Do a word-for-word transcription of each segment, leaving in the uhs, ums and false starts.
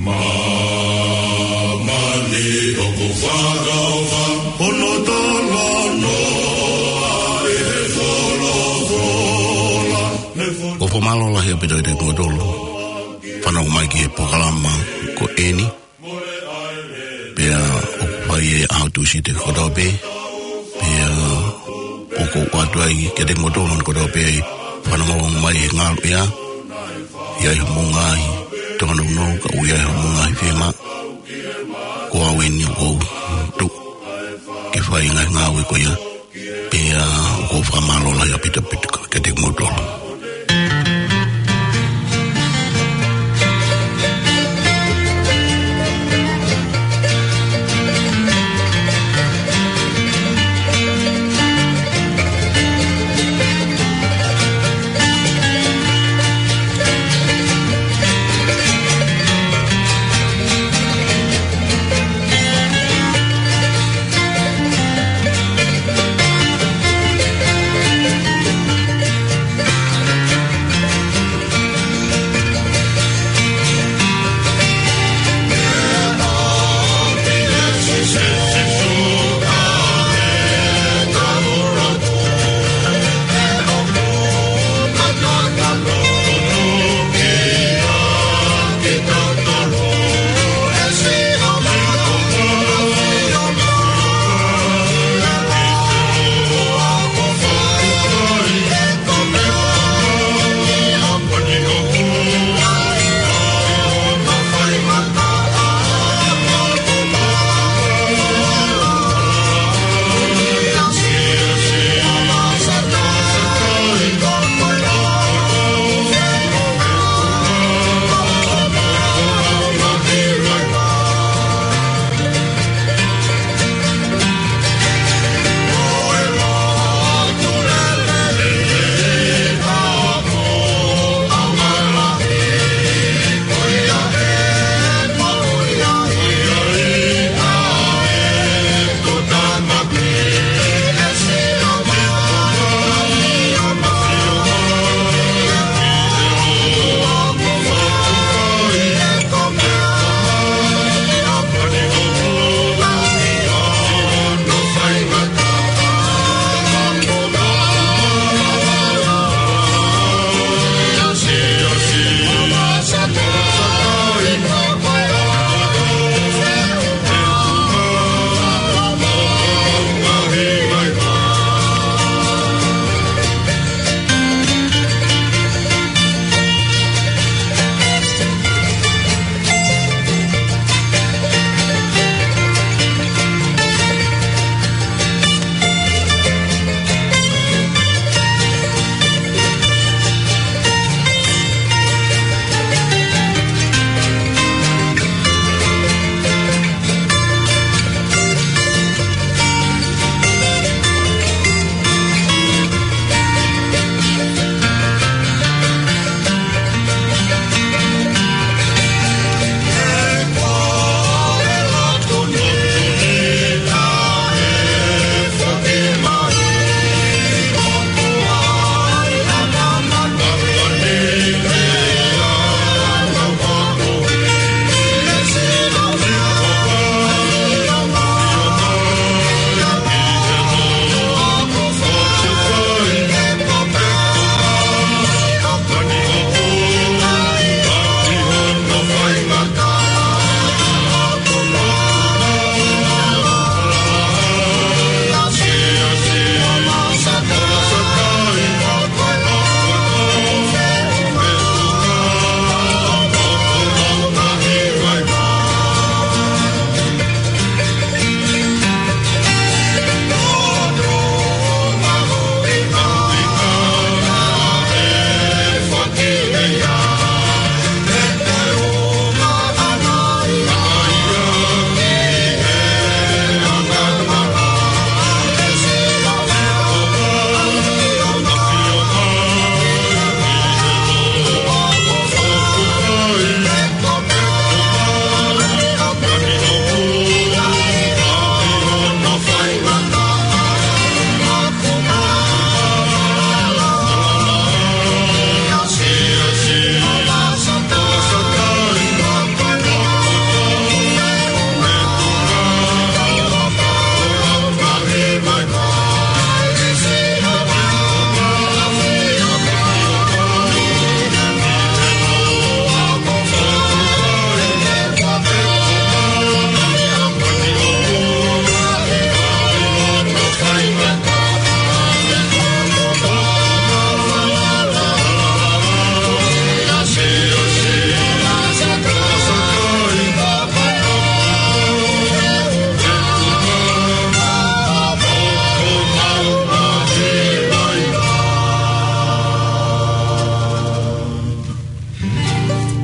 Māmani ʻoku fakaʻofa, hono tolonoa ʻi he folofola. ʻOku fakamālō lahi ʻaupito kiate kimoutolu fanongo mai ki he polokalama ko eni. Pea ʻoku fai ʻi he ʻaho Tūsite kotoa pē. Pea ʻoku ou ʻoatu ai kiate kimoutolu kotoa pē ʻoku fanongo mai he ngaluʻea, ʻi ai homou ngaahi tōnounou, kae ʻumaʻā homou ngaahi fiemaʻu. Ko au eni ʻoku ou tuʻu ke fai e ngaahi ngāue ko ia. Pea ʻoku ou fakamālō lahi ʻaupito ʻaupito kiate kimoutolu.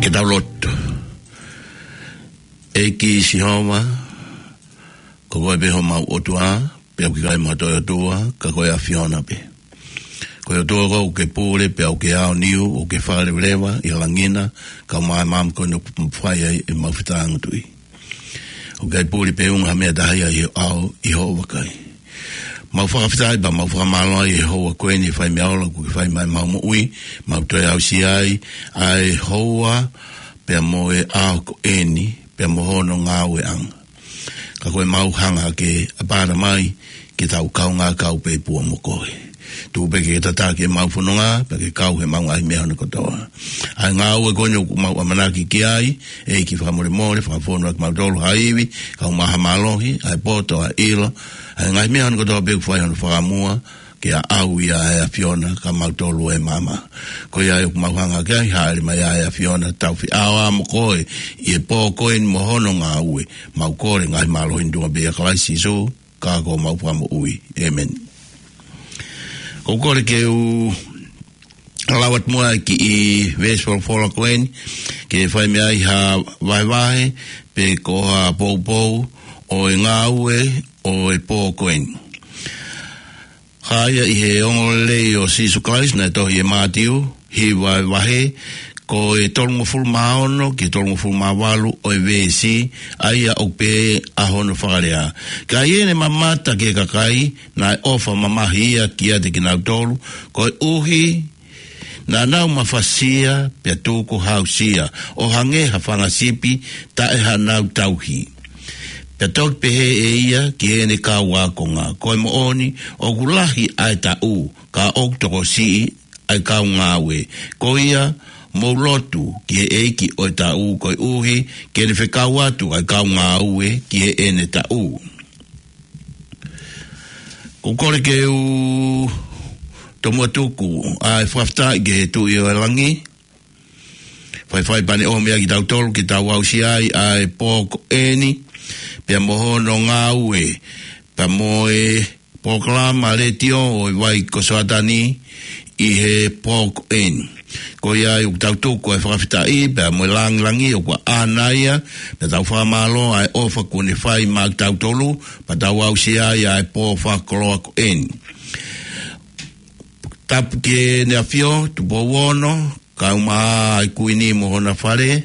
ʻE tau lotu. ʻEiki Sihova, ko koe pē homau ʻOtua, pea ʻoku ʻikai mo ha toe ʻotua, ka ko e ʻAfiona pē. Ko e ʻOtua koe ʻoku ke pule, pea ʻoku ke aoniu, ʻoku ke fakaleveleva ʻi he langi na, kae ʻumaʻā e maama ko eni ʻoku mau fai ai ʻemau fetāngutuʻi. ʻOku ʻikai puli pe unga ha meʻa taha ia ʻi hoʻo ʻao, ʻi hoʻo vakai. Mau fakafetaʻi pea mau fakamālō ʻi he houa ko eni ʻi he fai meʻa ola kuo ke fai maʻa ʻemau moʻui, mau toe aʻusia ai ʻa e houa pea mo e ʻaho ko eni, pea mo hono ngāueʻanga. Ka ko ʻemau hanga hake ʻapaʻapa mai ke tau kaungā kau pē pea mo koe. Tuku pē ke tataki ʻemau fononga, pea ke kau heʻemau ngaahi meʻa hono kotoa. ʻA e ngāue ko eni ʻoku mau ʻamanaki ki ai, ʻEiki fakamolemole, fakafonu ʻa kimautolu ha ivi, kae ʻumaʻā ha mālohi, ʻa e poto, ʻa e ʻilo, ʻa e ngaahi meʻa hono kotoa pē ʻoku fai hono fakamua, ke aʻau ia ʻe he ʻAfiona kimautolu ʻi he maama. Ko ia ai ʻoku mau hanga hake ai, hāʻele mai ʻa e ʻAfiona, tau feʻao mo koe, ʻi he pō ko eni mo hono ngāue, mau kole ngaahi mālohi ni tuʻunga pē ʻia Kalaisi Sīsū, ka ko homau Fakamoʻui. ʻĒmeni. ʻOku ou kole ke u lau atu muʻa e kiʻi veesi folofola ko eni, ke fai mei ai ha vahevahe, pe ko ha poupou ʻo e ngāue ʻo e pō ko eni. Hā ia ʻi he ongoongolelei ʻo Sīsū Kalaisi naʻe tohi ʻe Mātiu, hiva e vahe, ko e tolungofulu mā ono ki he tolungofulu mā valu ʻo e veesi, ʻa ia ʻoku pehē ʻa hono fakalea. Ka ʻi heʻene mamata ki he kakai, naʻe ʻofa mamahi ia kiate kinautolu, koeʻuhi naʻa nau mafasia, pea tukuhāusia, ʻo hangē ha fanga sipi taʻe hanau tauhi. Pea toki pehē ʻe ia ki heʻene kau ākonga, ko e moʻoni, ʻoku lahi ʻa e taʻu, ka ʻoku tokosiʻi ʻa e kau ngāue. Ko ia, mou lotu ki he ʻEiki ʻo e taʻu koeʻuhi, ke ne fekau atu ʻa e kau ngāue ki heʻene taʻu. ʻOku ou kole ke u tomuʻa tuku ʻa e fakafetaʻi ki he Tuʻi ʻo e langi, faifai pane ʻo meʻa kitautolu ke tau aʻusia ai ʻa e pō ko eni, pea mo hono ngāue, pea mo e polokalama letiō ʻo e Vai ko Soatani ʻi he pō ko eni. Ko ia ai ʻoku tau tuku ʻa e fakafetaʻi, pea mo e lāngilangi ʻoku ʻaʻana ia, pea tau fakamālō ʻa e ʻofa kuo ne fai maʻa kitautolu, pea tau aʻusia ai ʻa e pō fakakoloa ko eni. Tapu ki heʻene ʻAfio, Tupou Ono, kae ʻumaʻā ʻa e Kuini mo hona fale,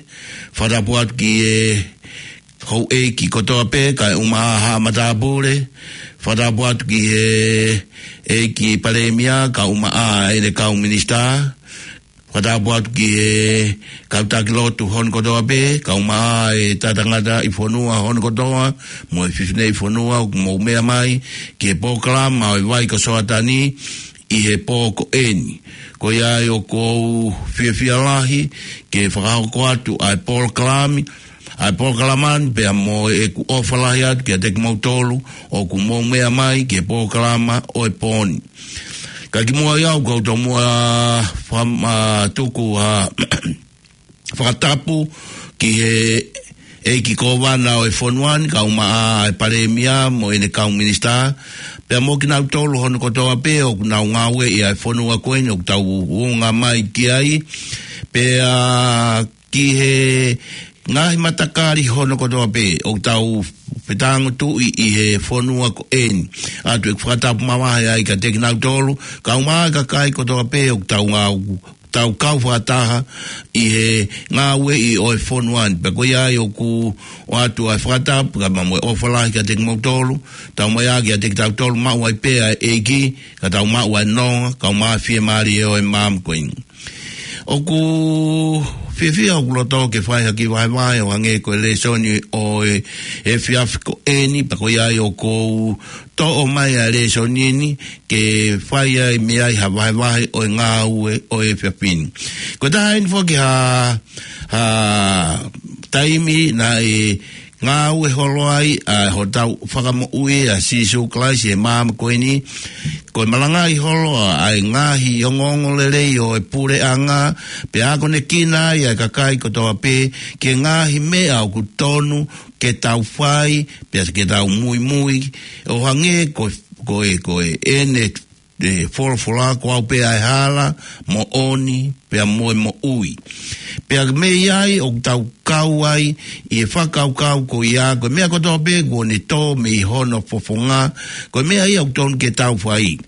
fakatapu atu ki he houʻeiki kotoa pē, kae ʻumaʻā haʻa matāpule, fakatapu atu ki he ʻEiki Palēmia, kae ʻumaʻā ʻene kau minisitā, fakatapu atu ki he kau taki lotu hono kotoa pē, kae ʻumaʻā e tangataʻi fonua hono kotoa, mo e fineʻeiki fonua, ʻoku mou meʻa mai ki he polokalama ʻo e Vai ko Soatani, ʻi he pō ko eni. Ko ia ai ʻoku ou fiefia lahi ke fakahoko atu ʻa e polokalama, ʻa e polokalama ni pea mo ʻeku ʻofa lahi atu kiate kimoutolu ʻoku mou meʻa mai ki he polokalama ʻo e pō ni. Ka kimuʻa ia ʻoku ou tomuʻa fam-, ʻa, tuku ʻa fakatapu ki he ʻEiki Kōvana ʻo e fonua ni, kae ʻumaʻā e Palēmia mo ʻene kau minisitā, pea mo kinautolu hono kotoa pē ʻoku nau ngāueʻi ʻa e fonua ko eni ʻoku tau unga mai ki ai, pea ki he ngaahi matakali hono kotoa pē ʻoku tau fetāngutuʻi ʻi he fonua ko eni. ʻOatu ʻeku fakatapu mavahe ai kiate kinautolu, kae ʻumaʻā e kakai kotoa pē ʻoku tau ngāue, tau kau fakataha ʻi he ngāueʻi ʻo e fonua ni. Pea ko ia ai ʻoku ʻoatu ʻa e fakatapu, kae ʻumaʻā mo e ʻofa lahi kiate kimoutolu, taumaiā kiate kitautolu, maʻu ai pē ʻa e ʻEiki, ka tau maʻu ʻa e nonga, kae ʻumaʻā e fiemālie ʻo e maama ko eni. ʻOku fiefia ʻoku loto ke fai ha kiʻi vahevahe ʻo hangē ko e lēsoni ʻo e, e efiafi ko eni, pea ko ia ai ʻoku ou toʻo mai ʻa e lēsoni ni, ke fai ai mei ai ha vahevahe ʻo e ngāue ʻo e efiafi ni. Ko e taha eni foki ha, ha taimi naʻe ngāue holo ai ʻa hotau Fakamoʻui ʻa Sīsū Kalaisi ʻi he maama ko eni, ko e malangaʻi holo ʻa e ngaahi ongoongolelei ʻo e puleʻanga, pea akonekina ai ʻa e kakai kotoa pē ki he ngaahi meʻa ʻoku tonu ke tau fai, pea ke tau muimui, ʻo hangē ko, ko e, ko e ʻene e folofola, ko au pē ʻa e hala, moʻoni, pea mo e moʻui. Pea mei ai ʻoku tau kau ai ʻi he fakakaukau ko ia, ko e meʻa kotoa pē kuo ne tō mei hono fofonga, ko e meʻa ia ʻoku tonu ke tau fai.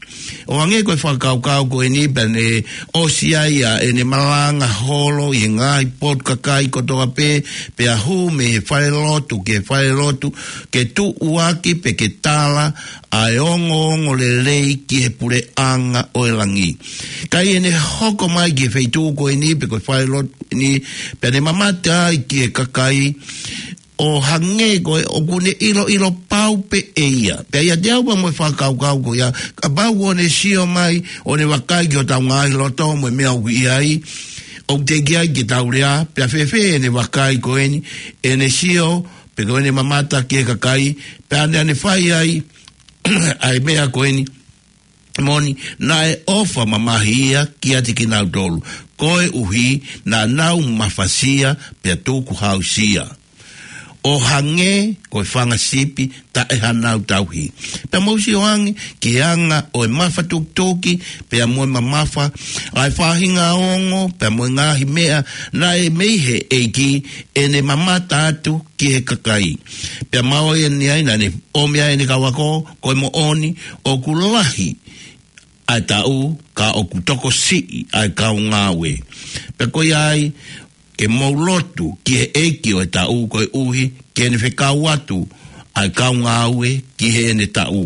ʻO hangē ko e fakakaukau ko eni pea ne ʻosi ai ʻa ʻene malanga holo ʻi he ngaahi potu kakai kotoa pē, pea hū mei he falelotu ki he falelotu, ke tuʻuaki pe ke tala ʻa e ongoongolelei ki he puleʻanga ʻo e langi. Ka ʻi heʻene hoko mai ki he feituʻu ko eni pe ko e falelotu ni, pea ne mamata ai ki he kakai, ʻo hangē ko e ʻoku ne ʻiloʻilo pau pē ʻe ia. Pea ʻiate au pea mo e fakakaukau ko ia, kapau ʻoku ne sio mai, ʻo ne vakai ki hotau ngaahi loto mo e meʻa ʻoku ʻi ai, ʻoku teʻeki ai ke tau lea, pea fēfē ʻene vakai ko eni, ʻene sio, pe ko ʻene mamata ki he kakai, pea ne ʻane fai ai, ʻa e meʻa ko eni, moʻoni, naʻe ʻofa mamahi ia kiate kinautolu. Koeʻuhi, naʻa nau mafasia, pea tukuhausia. ʻO hangē, ko e fanga sipi, taʻe hanau tauhi. Pea mou sio ange, ki he anga ʻo e mafatukituki, pea mo e mamafa, ʻa e faʻahinga ongo, pea mo e ngaahi meʻa, naʻe mei he ʻEiki, ʻene mamata atu ki he kakai. Pea maʻu ʻeni ai naʻa ne ʻomi ai ʻene kau ako, ko e moʻoni, ʻoku lahi ʻa e taʻu, ka ʻoku tokosiʻi ʻa e kau ngāue. Pea ko ia ai, ke mou lotu ki he ʻEiki ʻo e taʻu koeʻuhi, ke ne fekau atu ʻa e kau ngāue ki heʻene taʻu.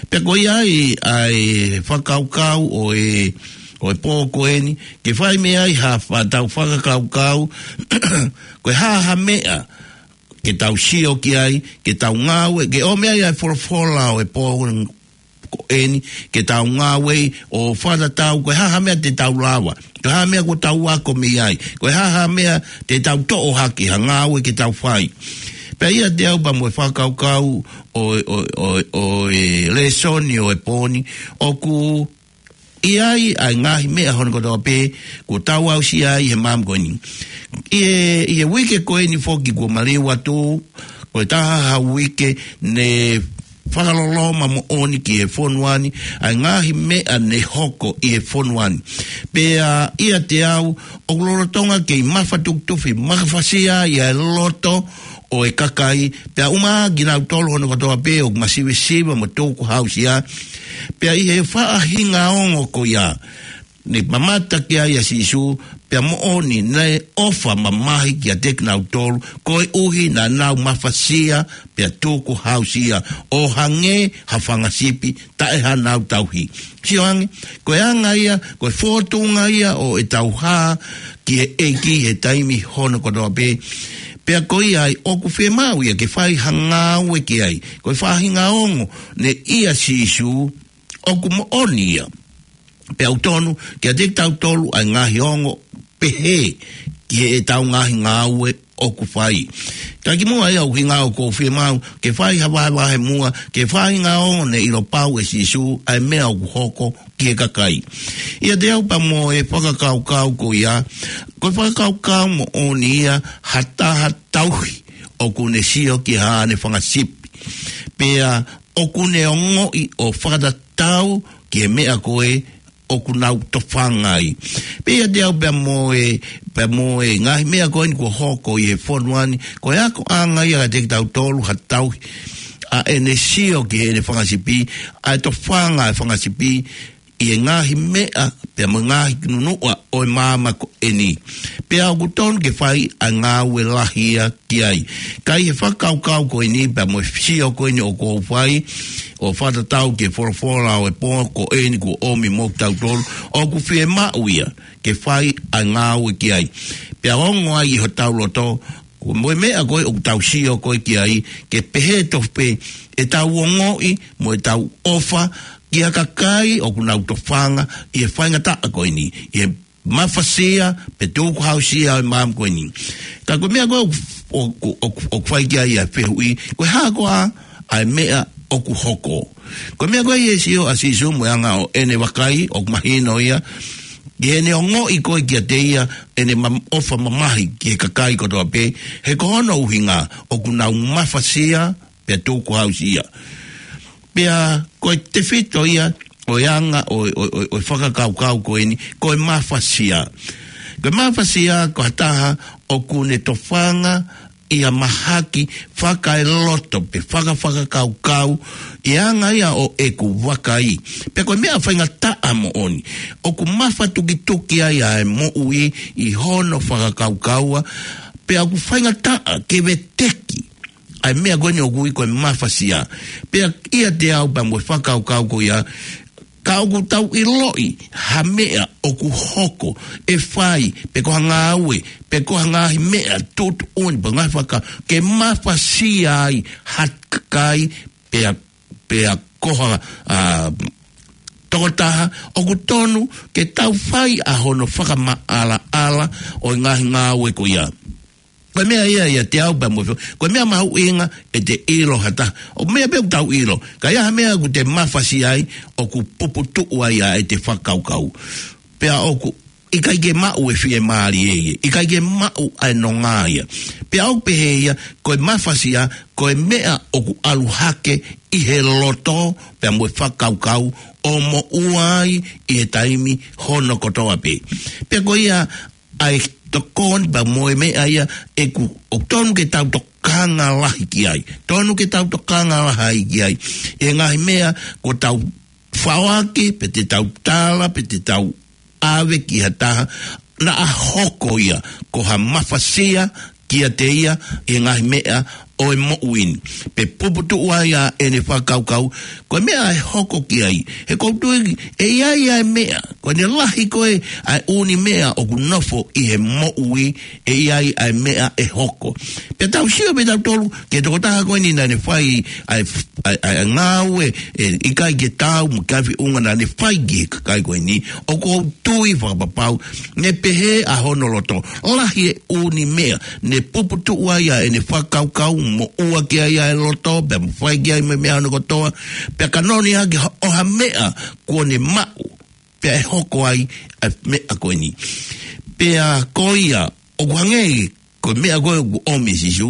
Pea ko ia ai ʻa e fakakaukau ʻo e, ʻo e pō ko eni, ke fai mei ai ha fa-, tau fakakaukau, ko e hā ha meʻa, ke tau sio ki ai, ke tau ngāue, ke ʻomi ai ʻa e folofola ʻo e pō ko eni, ke tau ngāue ʻo fakatatau, ko e hā ha meʻa te tau lava, ko e hā ha meʻa kuo tau ako mei ai, ko e hā ha meʻa te tau toʻo hake, ha ngāue ke tau fai. Pea ʻiate au pea mo e fakakaukau ʻo, ʻo, ʻo, ʻo e lēsoni ʻo e pō ni, ʻoku ʻi ai ʻa e ngaahi meʻa hono kotoa pē, kuo tau aʻusia ai he maama ko eni. ʻI he, ʻi he uike ko eni foki kuo maliu atu, ko e taha ha uike ne fakaloloma moʻoni ki he fonua ni, ʻa e ngaahi meʻa ne hoko ʻi he fonua ni. Pea ʻiate au, ʻoku lolotonga kei mafatukitufi, mafasia ʻa e loto ʻo e kakai, pea ʻumaʻā kinautolu hono kotoa pē ʻoku masivesiva mo tukuhausia, pea ʻi he faʻahinga ongo ko ia, ne mamata ki ai ʻa Sīsū, pea moʻoni naʻe ʻofa mamahi kiate kinautolu, koeʻuhi naʻa nau mafasia, pea tukuhausia, ʻo hangē ha fanga sipi, taʻe hanau tauhi. Sio ange, ko e anga ia, ko e fōtunga ia ʻo ʻetau hā ki he ʻEiki he taimi hono kotoa pē. Pea ko ia ai ʻoku fiemaʻu ia ke fai ha ngāue ki ai. Ko e faʻahinga ongo ne ʻia Sīsū ʻoku moʻoni ia. Pea ʻoku tonu kiate kitautolu ʻa e ngaahi ongo pehē ki heʻetau ngaahi ngāue ʻoku fai. Ka kimuʻa ia ʻoku hinga ʻoku ou fiemaʻu ke fai ha vahevahe muʻa, ke fai ha ongo ne ʻilo pau ʻe Sīsū ʻa e meʻa ʻoku hoko ki he kakai. ʻIate au pea mo e fakakaukau ko ia, ko e fakakaukau moʻoni ia ha taha tauhi ʻoku ne sio ki haʻane fanga sipi. Pea ʻoku ne ongoʻi ʻo fakatatau ki he meʻa ko ē ʻoku nau tofanga ai. Pea ʻiate au pea mo e, pea mo e ngaahi meʻa ko eni kuo hoko ʻi he fonua ni, ko e akoʻanga ia kiate kitautolu ha tauhi, ʻa ʻene sio ki heʻene fanga sipi, ʻa e tofanga ʻa e fanga sipi, ʻi he ngaahi meʻa, pea mo e ngaahi nunuʻa ʻo e maama ko eni. Pea ʻoku tonu ke fai ʻa e ngāue lahi ia ki ai. Ka ʻi he fakakaukau ko eni, pea mo e sio ko eni ʻoku ou fai, ʻo fakatatau ki he folofola ʻo e pō ko eni kuo ʻomi mo kitautolu, ʻoku fiemaʻu ia ke fai ʻa e ngāue ki ai. Pea ongo ai ʻi hotau loto, ko e meʻa ko ē ʻoku tau sio ko ē ki ai, ke pehē tofu pē ʻetau ongoʻi mo ʻetau ʻofa ki ha kakai ʻoku nau tofanga ʻi he faingataʻa ko eni, ʻi he mafasia pe tukuhausia ʻo e maama ko eni. Ka ko e meʻa ko ē ʻoku, ʻoku, ʻoku, ʻoku fai ki ai ʻa e fehuʻi, ko e hā koā ʻa e meʻa ʻoku hoko. Ko e meʻa ko ē ʻi he sio ʻa Sīsū mo e anga ʻo ʻene vakai, ʻoku mahino ia, ki heʻene ongoʻi ko ē kiate ia ʻene ma-, ʻofa mamahi ki he kakai kotoa pē, he ko hono ʻuhinga ʻoku nau mafasia pea tukuhausia. Pea ko e tefito ia ʻo e anga ʻo, ʻo, ʻo, ʻo e fakakaukau ko eni, ko e mafasia. Ko e mafasia ko ha taha ʻoku ne tofanga ʻi ha mahaki fakaeloto pe fakafakakaukau ʻi he anga ia ʻo ʻeku vakai. Pea ko e meʻa faingataʻa moʻoni, ʻoku mafatukituki ai ʻa e moʻui ʻi hono fakakaukaua, pea ʻoku faingataʻa ke veteki ʻa e meʻa ko eni ʻoku ui ko e mafasia. Pea ʻiate au pea mo e fakakaukau ko ia, ka ʻoku tau ʻiloʻi ha meʻa ʻoku hoko, ʻe fai, pe ko ha ngāue, pe ko ha ngaahi meʻa tuʻutuʻuni, pe ngaahi faka, ke mafasia ai ha kakai, pea, pea ko ha, ʻa, tokotaha, ʻoku tonu ke tau fai ʻa hono fakamaʻalaʻala ʻo e ngaahi ngāue ko ia. Ko e meʻa ia ʻiate au pea mo e fo-, ko e meʻa mahuʻinga ʻete ʻilo ha taha. ʻOku meʻa pē ʻoku tau ʻilo. Ka ʻi ai ha meʻa ʻoku te mafasia ai, ʻoku puputuʻu ai ʻa ʻete fakakaukau. Pea ʻoku ʻikai ke maʻu e fiemālie ia. ʻIkai ke maʻu ʻa e nonga ia. Pea ʻoku pehē ia, ko e mafasia, ko e meʻa ʻoku ʻalu hake ʻi he loto, pea mo e fakakaukau, ʻo moʻua ai ʻi he taimi hono kotoa pē. Pea ko ia, ʻa e tokoni pea mo e meʻa ia ʻeku, ʻoku tonu ke tau tokanga lahi ki ai. Tonu ke tau tokanga lahi ki ai. ʻI he ngaahi meʻa ko ʻetau faoaki, pe te tau tala, pe te tau ʻave ki ha taha, naʻa hoko ia ko ha mafasia kiate ia ʻi he ngaahi meʻa ʻo e moʻui ni. Pe puputuʻu ai ʻa ʻene fakakaukau, ko e meʻa ʻe hoko ki ai. He ʻoku ou tui, ʻe ʻi ai ʻa e meʻa, ko ʻene lahi ko ē ʻa e ʻū meʻa ʻoku nofo ʻi he moʻui, ʻe ʻi ai ʻa e meʻa ʻe hoko. Pea tau sio pē tautolu, ki he tokotaha ko eni naʻa ne fai ʻa e, ʻa e, ʻa e ngāue, ʻe ʻikai ke taau mo e ngaahi feʻunga naʻa ne fai ki he kakai ko eni, ʻoku ou tui fakapapau, ne pehē ʻa hono loto. Lahi e ʻū meʻa, ne puputuʻu ai ʻa ʻene fakakaukau, moʻua ki ai ʻa e loto, pea mo fai ki ai mo e meʻa hono kotoa, pea ka noni hake ha, ʻo ha meʻa kuo ne maʻu, pea ʻe hoko ai ʻa e meʻa ko eni. Pea ko ia, ʻoku hangē, ko e meʻa ko ē ʻoku ʻomi ʻe Sīsū,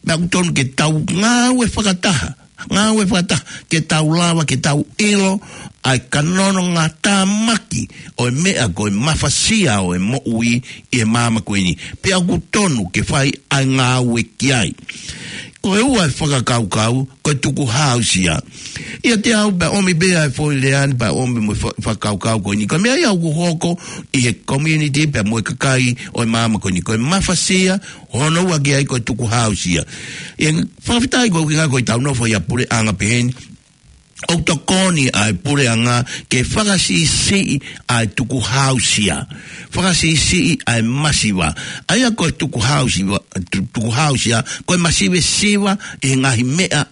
pea ʻoku tonu ke tau ngāue fakataha, ngāue fakataha, ke tau lava, ke tau ʻilo, ʻa e kanononga tāmaki, ʻo e meʻa ko e mafasia ʻo e moʻui ʻi he māmani ko eni. Pea ʻoku tonu ke fai ʻa e ngāue ki ai. Ko e ua e fakakaukau, ko e tukuhāusia. ʻIate au pea ʻomi pē ʻa e foʻi lea ni pea ʻomi mo e fa-, fakakaukau ko eni. Ko e meʻa ia ʻoku hoko ʻi he community pea mo e kakai ʻo e māmani ko eni. Ko e mafasia, hono ua ki ai ko e tukuhāusia. ʻE fakafetaʻi ko e ʻuhinga ko ʻetau nofo ʻi ha puleʻanga pehē ni. ʻOku tokoni ʻa e puleʻanga ke fakasiʻisiʻi ʻa e tukuhāusia. Fakasiʻisiʻi ʻa e masiva. ʻA ia ko e tukuhāusia, tu-, tukuhāusia, ko e masiva siva ʻi he ngaahi meʻa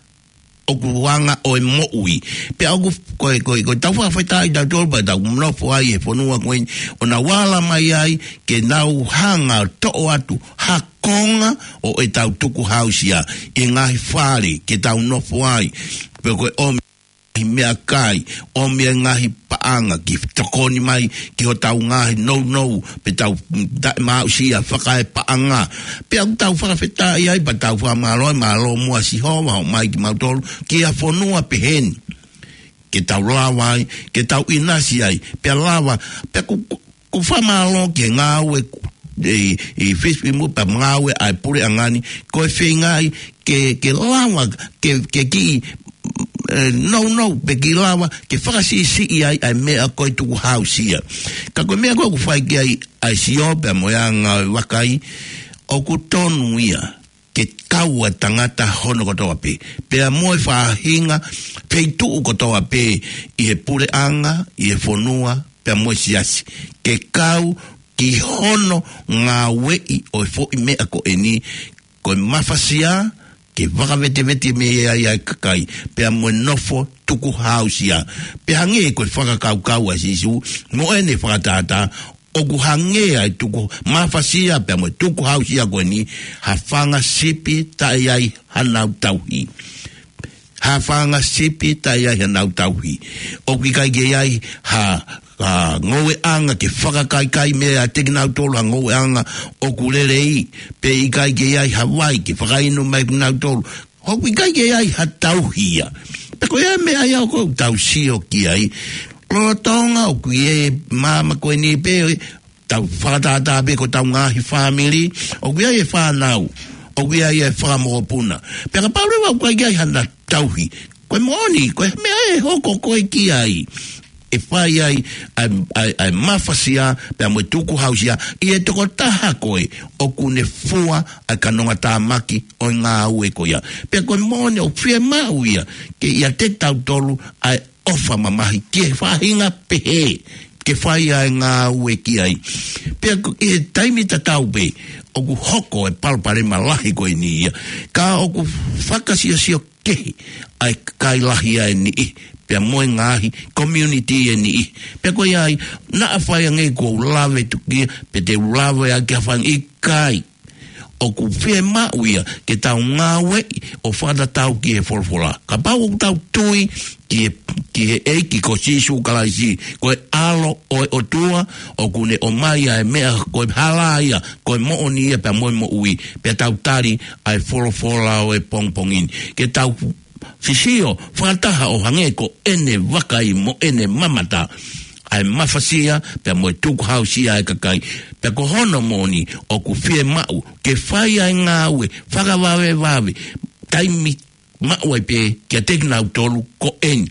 ʻoku anga ʻo e moʻui. Pea ʻoku, ko e, ko e, ko ʻetau fakafetaʻi tautolu pea tau nofo ai he fonua ko eni, ʻo nau ala mai ai, ke nau hanga ʻo toʻo atu ha konga ʻo ʻetau tukuhāusia ʻi he ngaahi fale ke tau nofo ai. Pea ko e ʻomi meʻakai, ʻomi e ngaahi paʻanga ke tokoni mai ki hotau ngaahi nounou, pe tau, mm, taʻemaʻusia fakaepaʻanga. Pea ʻoku tau fakafetaʻi ai, pea tau fakamālō, mālō muʻa Sihova, ʻomai kimautolu ki ha fonua pehē ni. Ke tau lava ai, ke tau ʻinasi ai, pea lava, pea ʻoku, ʻoku, ʻoku fakamālō ki he ngāue, ʻi, ʻi Fisi mo e pea ngāue ʻa e puleʻanga ni, ko e feingaʻi ke, ke lava, ke, ke kiʻi, ʻe, nounou, pe kiʻi lava, ke fakasiʻisiʻi ai, ʻa e meʻa ko e tukuhāusia. Ka ko e meʻa ko ē ʻoku fai ki ai, ʻa e sio, pea mo e anga ʻo e vakai, ʻoku tonu ia ke kau ʻa e tangata hono kotoa pē. Pea mo e faʻahinga, feituʻu kotoa pē, ʻi he puleʻanga, ʻi he fonua, pea mo e siasi. Ke kau ki hono ngāueʻi ʻo e foʻi meʻa ko eni, ko e mafasia, ke fakavetevete mei ai ʻa e kakai, pea mo e nofo tukuhāusia. Pea hangē ko e fakakaukau ʻa Sīsū, mo ʻene fakatātā, ʻoku hangē ʻa e tukumafasia pea mo e tukuhāusia ko eni, ha fanga sipi taʻe ʻi ai hanau tauhi. Ha fanga sipi taʻe ʻi ai hanau tauhi. ʻOku ʻikai ke ʻi ai ha, ha ngoueʻanga ke fakakaikai meiate kinautolu ha ngoueʻanga ʻoku lelei, pe ʻikai ke ʻi ai ha vai ke fakainu mai kinautolu. ʻOku ʻikai ke ʻi ai ha tauhi ia. Pea ko e meʻa ia ʻoku tau sio ki ai. Lolotonga ʻoku ʻi he māmani ko eni pē, tau fakatātā pē ko ʻetau ngaahi fāmili, ʻoku ʻi ai e fānau, ʻoku ʻi ai e fakamokopuna. Pea kapau leva ʻoku ʻikai ke ʻi ai hano tauhi, ko e moʻoni, ko e meʻa ʻe hoko koe ki ai, ʻe fai ai ʻa e, ʻa e, ʻa e mafasia pea mo e tukuhausia ʻi he tokotaha ko ē ʻoku ne fua ʻa e kanongatāmaki ʻo e ngāue ko ia. Pea ko e moʻoni ʻoku fiemaʻu ia ke ʻiate kitautolu ʻa e ʻofa mamahi ki he faʻahinga pehē ke fai ʻa e ngāue ki ai. Pea ko, ʻi he taimi tatau pē ʻoku hoko e palopalema lahi ko eni ia, ka ʻoku fakasiosio kehe ʻa e kakai lahi ʻa e niʻihi pea mo e ngaahi community ʻa e niʻihi. Pea ko ia ai, naʻa faʻa ʻi ai ange kuo u lave tukia, pe te u lave ʻaki ha fanga, ʻikai. ʻOku fiemaʻu ia ke tau ngāueʻi ʻo fakatatau ki he folofola. Kapau ʻoku tau tui ki he, ki he ʻEiki ko Sīsū Kalaisi, ko e ʻAlo ʻo e ʻOtua, ʻoku ne ʻomai ʻa e meʻa ko e hala ia, ko e moʻoni ia pea mo e moʻui, pea tau tali ʻa e folofola ʻo e pongipongi ni. Ke tau sisio fakataha ʻo hangē ko ʻene vakai mo ʻene mamata ʻa e mafasia pea mo e tukuhausia ʻa e kakai. Pea ko hono moʻoni ʻoku fiemaʻu ke fai ʻa e ngāue fakavavevave, taimi maʻu ai pē kiate kinautolu ko eni.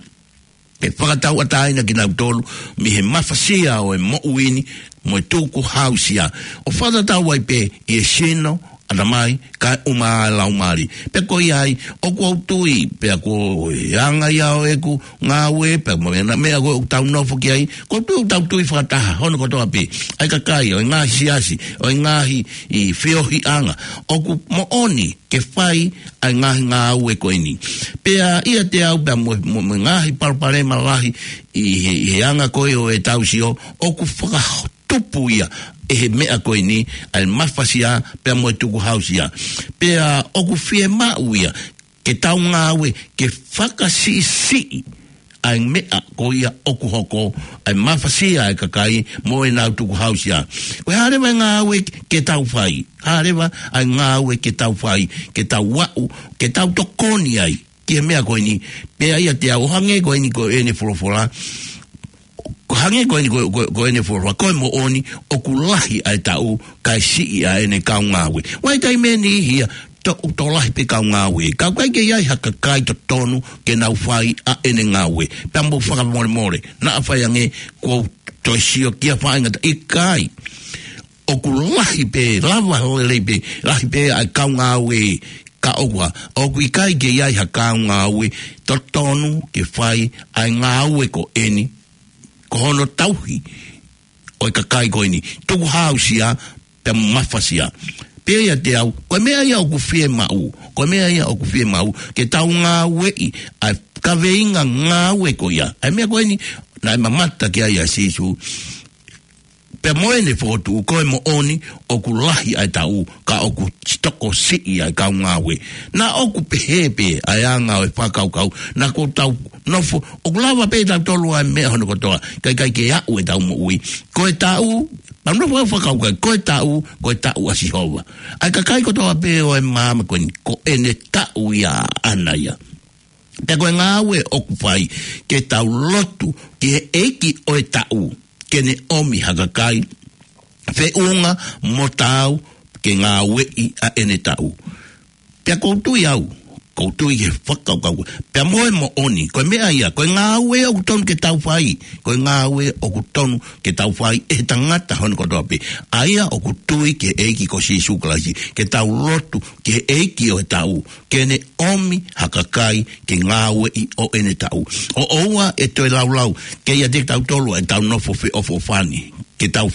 Ke fakatauʻatāina kinautolu mei he mafasia ʻo e moʻui ni mo e tukuhausia, ʻo fakatatau ai pē ʻi he sino, ʻatamai, kae ʻumaʻā e laumālie. Pea ko ia ai, ʻoku ou tui, pea ko e anga ia ʻo ʻeku ngāue, pea mo e meʻa ko ē ʻoku tau nofo ki ai, ʻoku ou tui ʻoku tau tui fakataha hono kotoa pē, ʻa e kakai ʻo e ngaahi siasi, ʻo e ngaahi feohiʻanga, ʻoku moʻoni ke fai ʻa e ngaahi ngāue ko eni. Pea ʻiate au pea mo, mo, mo e ngaahi palopalema lahi ʻi he, ʻi he anga ko ē ʻo ʻetau sio, ʻoku fakatupu ia ʻe he meʻa ko eni, ʻa e mafasia pea mo e tukuhausia. Pea ʻoku fiemaʻu ia ke tau ngāue ke fakasiʻisiʻi ʻa e meʻa ko ia ʻoku hoko, ʻa e mafasia ʻa e kakai mo ʻenau tukuhausia. Ko e hā leva e ngāue ke tau fai, hā leva ʻa e ngāue ke tau fai, ke tau aʻu, ke tau tokoni ai ki he meʻa ko eni. Pea ʻiate au, ʻo hangē ko eni ko ʻene folofola, ʻo hangē ko eni ko, ko, ko ʻene folofola, ko e moʻoni ʻoku lahi ʻa e taʻu kae siʻi ʻa ʻene kau ngāue. Vakai ki he niʻihi ia, tō, tō lahi pē kau ngāue, ka ʻoku ʻikai ke ʻi ai ha kakai totonu ke nau fai ʻa ʻene ngāue. Pea mou fakamolemole, naʻa faʻa ʻi ai ange kuo u toe sio ki ha faʻahinga ta, ʻikai. ʻOku lahi pē, lava lelei pē, lahi pē ʻa e kau ngāue, ka ʻoku ʻa, ʻoku ʻikai ke ʻi ai ha kau ngāue totonu ke fai ʻa e ngāue ko eni, ko hono tauhi ʻo e kakai ko eni, tukuhausia pea mafasia. Pea ʻiate au, ko e meʻa ia ʻoku fiemaʻu, ko e meʻa ia ʻoku fiemaʻu ke tau ngāueʻi ʻa e kaveinga ngāue ko ia. ʻA e meʻa ko eni naʻe mamata ki ai ʻa Sīsū. Pea mo ʻene fokotuʻu, ko e moʻoni ʻoku lahi ʻa e taʻu, ka ʻoku tokosiʻi ʻa e kau ngāue. Naʻa ʻoku pehē pē ʻa e anga ʻo e fakakaukau, naʻa ko ʻetau nofo, ʻoku lava pē ʻe tautolu ʻa e meʻa hono kotoa, kae ʻikai ke aʻu ʻetau moʻui. Ko e taʻu, pea nofo ʻo fakakaukau, ko e taʻu, ko e taʻu ʻa Sihova. ʻA e kakai kotoa pē ʻo e māmani ko eni, ko ʻene taʻu ia ʻaʻana ia. Pea ko e ngāue ʻoku fai, ke tau lotu ki he ʻEiki ʻo e taʻu, ke ne ʻomi ha kakai feʻunga mo taau ke ngāueʻi ʻa ʻene taʻu. Pea ʻoku ou tui au, ʻoku ou tui ki he fakakaukau, pea mo e moʻoni, ko e meʻa ia, ko e ngāue ʻoku tonu ke tau fai, ko e ngāue ʻoku tonu ke tau fai ʻe he tangata hono kotoa pē, ʻa ia ʻoku tui ki he ʻEiki ko Sīsū Kalaisi, ke tau lotu ki he ʻEiki ʻo e taʻu, ke ne ʻomi ha kakai ke ngāueʻi ʻo ʻene taʻu. ʻO ʻoua ʻe toe laulau, ke ʻiate kitautolu ʻa ʻetau nofo feʻofoʻofani, ke tau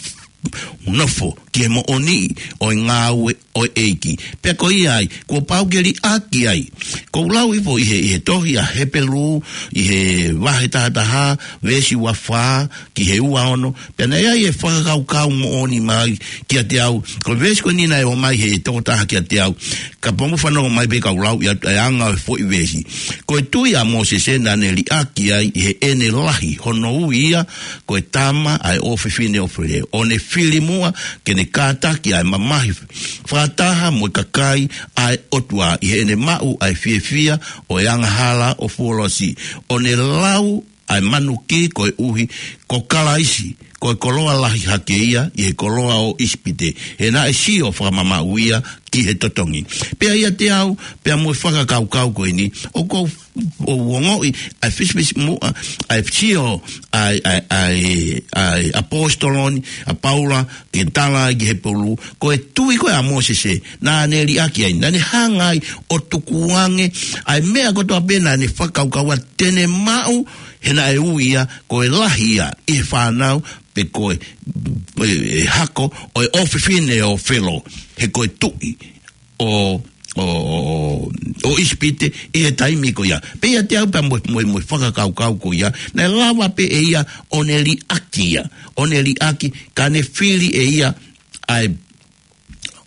nofo ki he moʻoni ʻo e ngāue ʻo e ʻEiki. Pea ko ia ai, kuo pau ke liʻaki ai. ʻOku ou lau hifo ʻi he, ʻi he tohi ʻa Hepelū, ʻi he vahe taha taha, veesi ua fā ki he ua ono, pea naʻe ʻi ai e fakakaukau moʻoni mai kiate au. Ko e veesi ko eni naʻe ʻomai ʻe he tokotaha kiate au. Kapau mou fanongo mai pea ka u lau ʻa e, ʻa e anga ʻo e foʻi veesi. Ko e tui ʻa Mōsese naʻa ne liʻaki ai ʻi heʻene lahi hono ui ia ko e tama ʻa e ʻofefine ʻo Felo, ʻo ne fili muʻa ke ne kātaki ʻa e mamahi fakataha mo e kakai ʻa e ʻOtua ʻi heʻene maʻu ʻa e fiefia ʻo e angahala ʻo Fuolosi, ʻo ne lau ʻa e manuki koeʻuhi ʻo Kalaisi, ko e koloa lahi hake ia ʻi he koloa ʻo ʻIsipite, he naʻe sio fakamamaʻu ia ki he totongi. Pea ʻiate au, pea mo e fakakaukau ko eni, ʻoku ou, ou ongoʻi ʻa e fisifisimuʻa, ʻa e sio ʻa e, ʻa e, ʻa e, ʻa e ʻaposetolo ni, ʻa Paula, ke tala ki he pulu, ko e tui ko ē ʻa Mōsese, naʻa ne liʻaki ai, naʻa ne hanga ai ʻo tukuange ʻa e meʻa kotoa pē naʻa ne fakakaukau ʻa te ne maʻu, he naʻe ui ia ko e lahi ia ʻi he fānau, pe ko e, e, e hako ʻo e ʻofefine ʻo Felo, he ko e tuʻi ʻo, ʻo, ʻo, ʻo ʻIsipite ʻi he taimi ko ia. Pea ʻiate au pea mo, mo, mo e fakakaukau ko ia, naʻe lava pē ʻe ia ʻo ne liʻaki ia, ʻo ne liʻaki, ka ne fili ʻe ia ʻa e,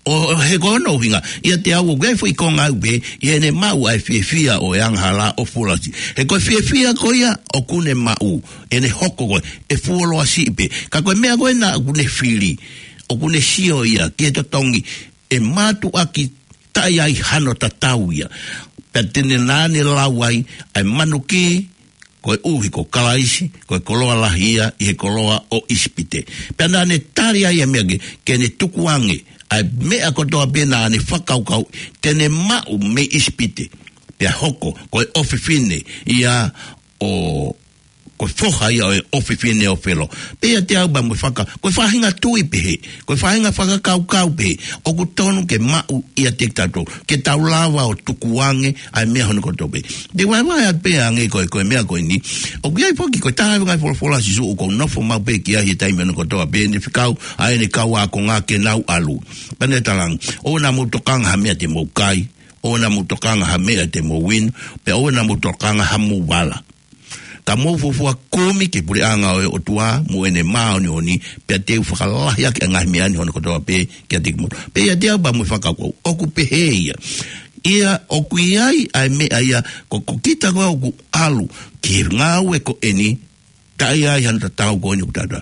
ʻo, ʻo he ko hono ʻuhinga, ʻiate au ʻoku ʻi ai e foʻi konga ʻoku pehē, ʻi heʻene maʻu ʻa e fiefia ʻo e angahala ʻo Fulasi. He ko e fiefia ko ia ʻoku ne maʻu, ʻene hoko ko ē, ʻe fuoloa siʻi pē. Ka ko e meʻa ko ē naʻa ʻoku ne fili, ʻoku ne sio ia ki he totongi, ʻe mātuʻaki taʻe ʻi ai hano tatau ia. Pea te ne naʻa ne lau ai ʻa e manuki, koeʻuhi ko Kalaisi, ko e koloa lahi ia ʻi he koloa ʻo ʻIsipite. Pea naʻa ne tali ai ʻa e meʻa ke, ke ne tukuange ʻa e meʻa kotoa pē naʻa ne fakakaukau te ne maʻu mei ʻIsipite. Pea hoko, ko e ʻofefine ia ʻo, ko e foha ia ʻo e ʻofefine ʻo Felo. Pea ʻiate au pea mo e faka-, ko e faʻahinga tui pehē, ko e faʻahinga fakakaukau pehē, ʻoku tonu ke maʻu ʻiate kitautolu, ke tau lava ʻo tukuange ʻa e meʻa hono kotoa pē. Te vaevae atu pē ange ko e, ko e meʻa ko eni, ʻoku ʻi ai foki ko e taha e ngaahi folofola ʻa Sīsū ʻoku ou nofo maʻu pē ki ai he taimi hono kotoa pē, ne fekau ʻa ʻene kau ākonga ke nau ʻalu. Pea ne talaange, ʻoua naʻa mou tokanga ha meʻa te mou kai, ʻoua naʻa mou tokanga ha meʻa te mou inu, pea ʻoua naʻa mou tokanga ha mou vala. Ka mou fuofua kumi ki he puleʻanga ʻo e ʻOtua mo ʻene māʻoniʻoni, pea te u fakalahi ʻaki ʻa e ngaahi meʻa ni hono kotoa pē kiate kimoutolu. Pea ʻiate au pea mo e fakakaukau, ʻoku pehē ia. ʻIa ʻoku ʻi ai ʻa e meʻa ia, ko, ko kita ko ē ʻoku ʻalu ki he ngāue ko eni, taʻe ʻi ai hano tatau ko eni ʻoku tata.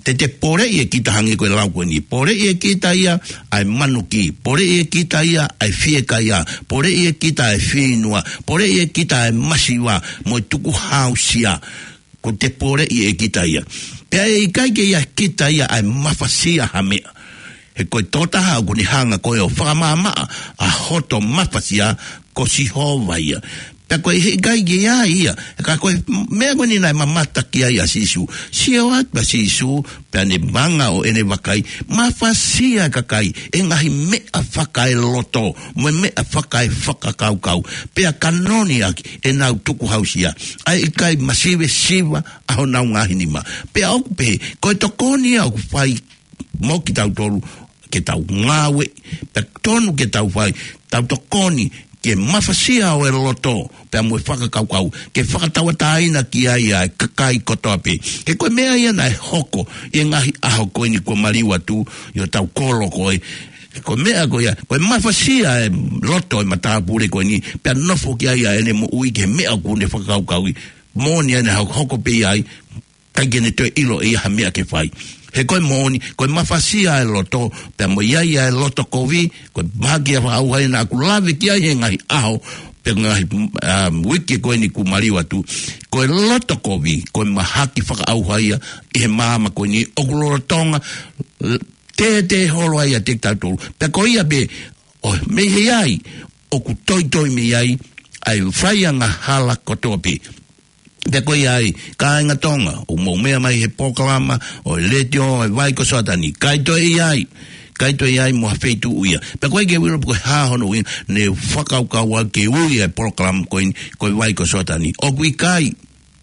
Te te poleʻi ʻe kita hangē ko e lau ko eni. Poleʻi ʻe kita ia ʻa e manuki. Poleʻi ʻe kita ia ʻa e fiekaia. Poleʻi ʻe kita ʻa e fieinua. Poleʻi ʻe kita ʻa e masiva mo e tukuhāusia. Ko te poleʻi ʻe kita ia. Pea ʻe ʻikai ke ʻi ai kita ia ʻa e mafasia ha meʻa. He ko e tokotaha ʻoku ne hanga ko ē ʻo fakamaʻamaʻa ʻa hoto mafasia ko Sihova ia. Pea ko e ʻikai ke ʻi ai ia. Ka ko e meʻa ko eni naʻe mamata ki ai ʻa Sīsū. Sio atu ʻa Sīsū, pea ne manga ʻo ʻene vakai, mafasia e kakai ʻe he ngaahi meʻa fakaeloto, mo e meʻa fakaefakakaukau. Pea kanoni ʻaki ʻenau tukuhāusia. ʻA e ʻikai masivesiva ʻa honau ngaahi nima. Pea ʻoku pehē, ko e tokoni ia ʻoku fai mo kitautolu, ke tau ngāue, pea tonu ke tau fai, tau tokoni ke mafasia ʻa e loto, pea mo e fakakaukau, ke fakatauʻatāina ki ai ʻa e kakai kotoa pē. He ko e meʻa ia naʻe hoko ʻi he ngaahi ʻaho ko eni kuo maliu atu, ʻi hotau kolo ko ē. Ko e meʻa ko ia, ko e mafasia e loto e matāpule ko eni, pea nofo ki ai ʻa ʻene moʻui ki he meʻa ʻoku ne fakakaukauʻi. Moʻoni ʻene hoko, hoko pē ia ai, ʻikai ke ne toe ʻilo ʻe ia ha meʻa ke fai. He ko e moʻoni, ko e mafasia e loto, pea mo ia ia e loto kovi, ko e mahaki ia fakaʻauha ia naʻa ku lave ki ai he ngaahi ʻaho, pe ngaahi, um, uike ko eni kuo maliu atu. Ko e loto kovi, ko e mahaki fakaʻauha ia ʻi he māmani ko eni ʻoku lolotonga, tētē holo ai ʻiate kitautolu. Pea ko ia pē, ʻo mei he ʻi ai, ʻoku toitoi mei ai, ʻa e fai angahala kotoa pē. Pea ko ia ai, kāinga Tonga, ʻoku mou meʻa mai he polokalama ʻo e letiō ʻo e Vai ko Soatani, ʻikai toe ʻi ai, ʻikai toe ʻi ai mo ha feituʻu ia. Pea ko e ke uilo pe ko e hā hono ui, ne fakakaukau au ke ui e polokalama ko eni, ko e Vai ko Soatani. ʻOku ʻikai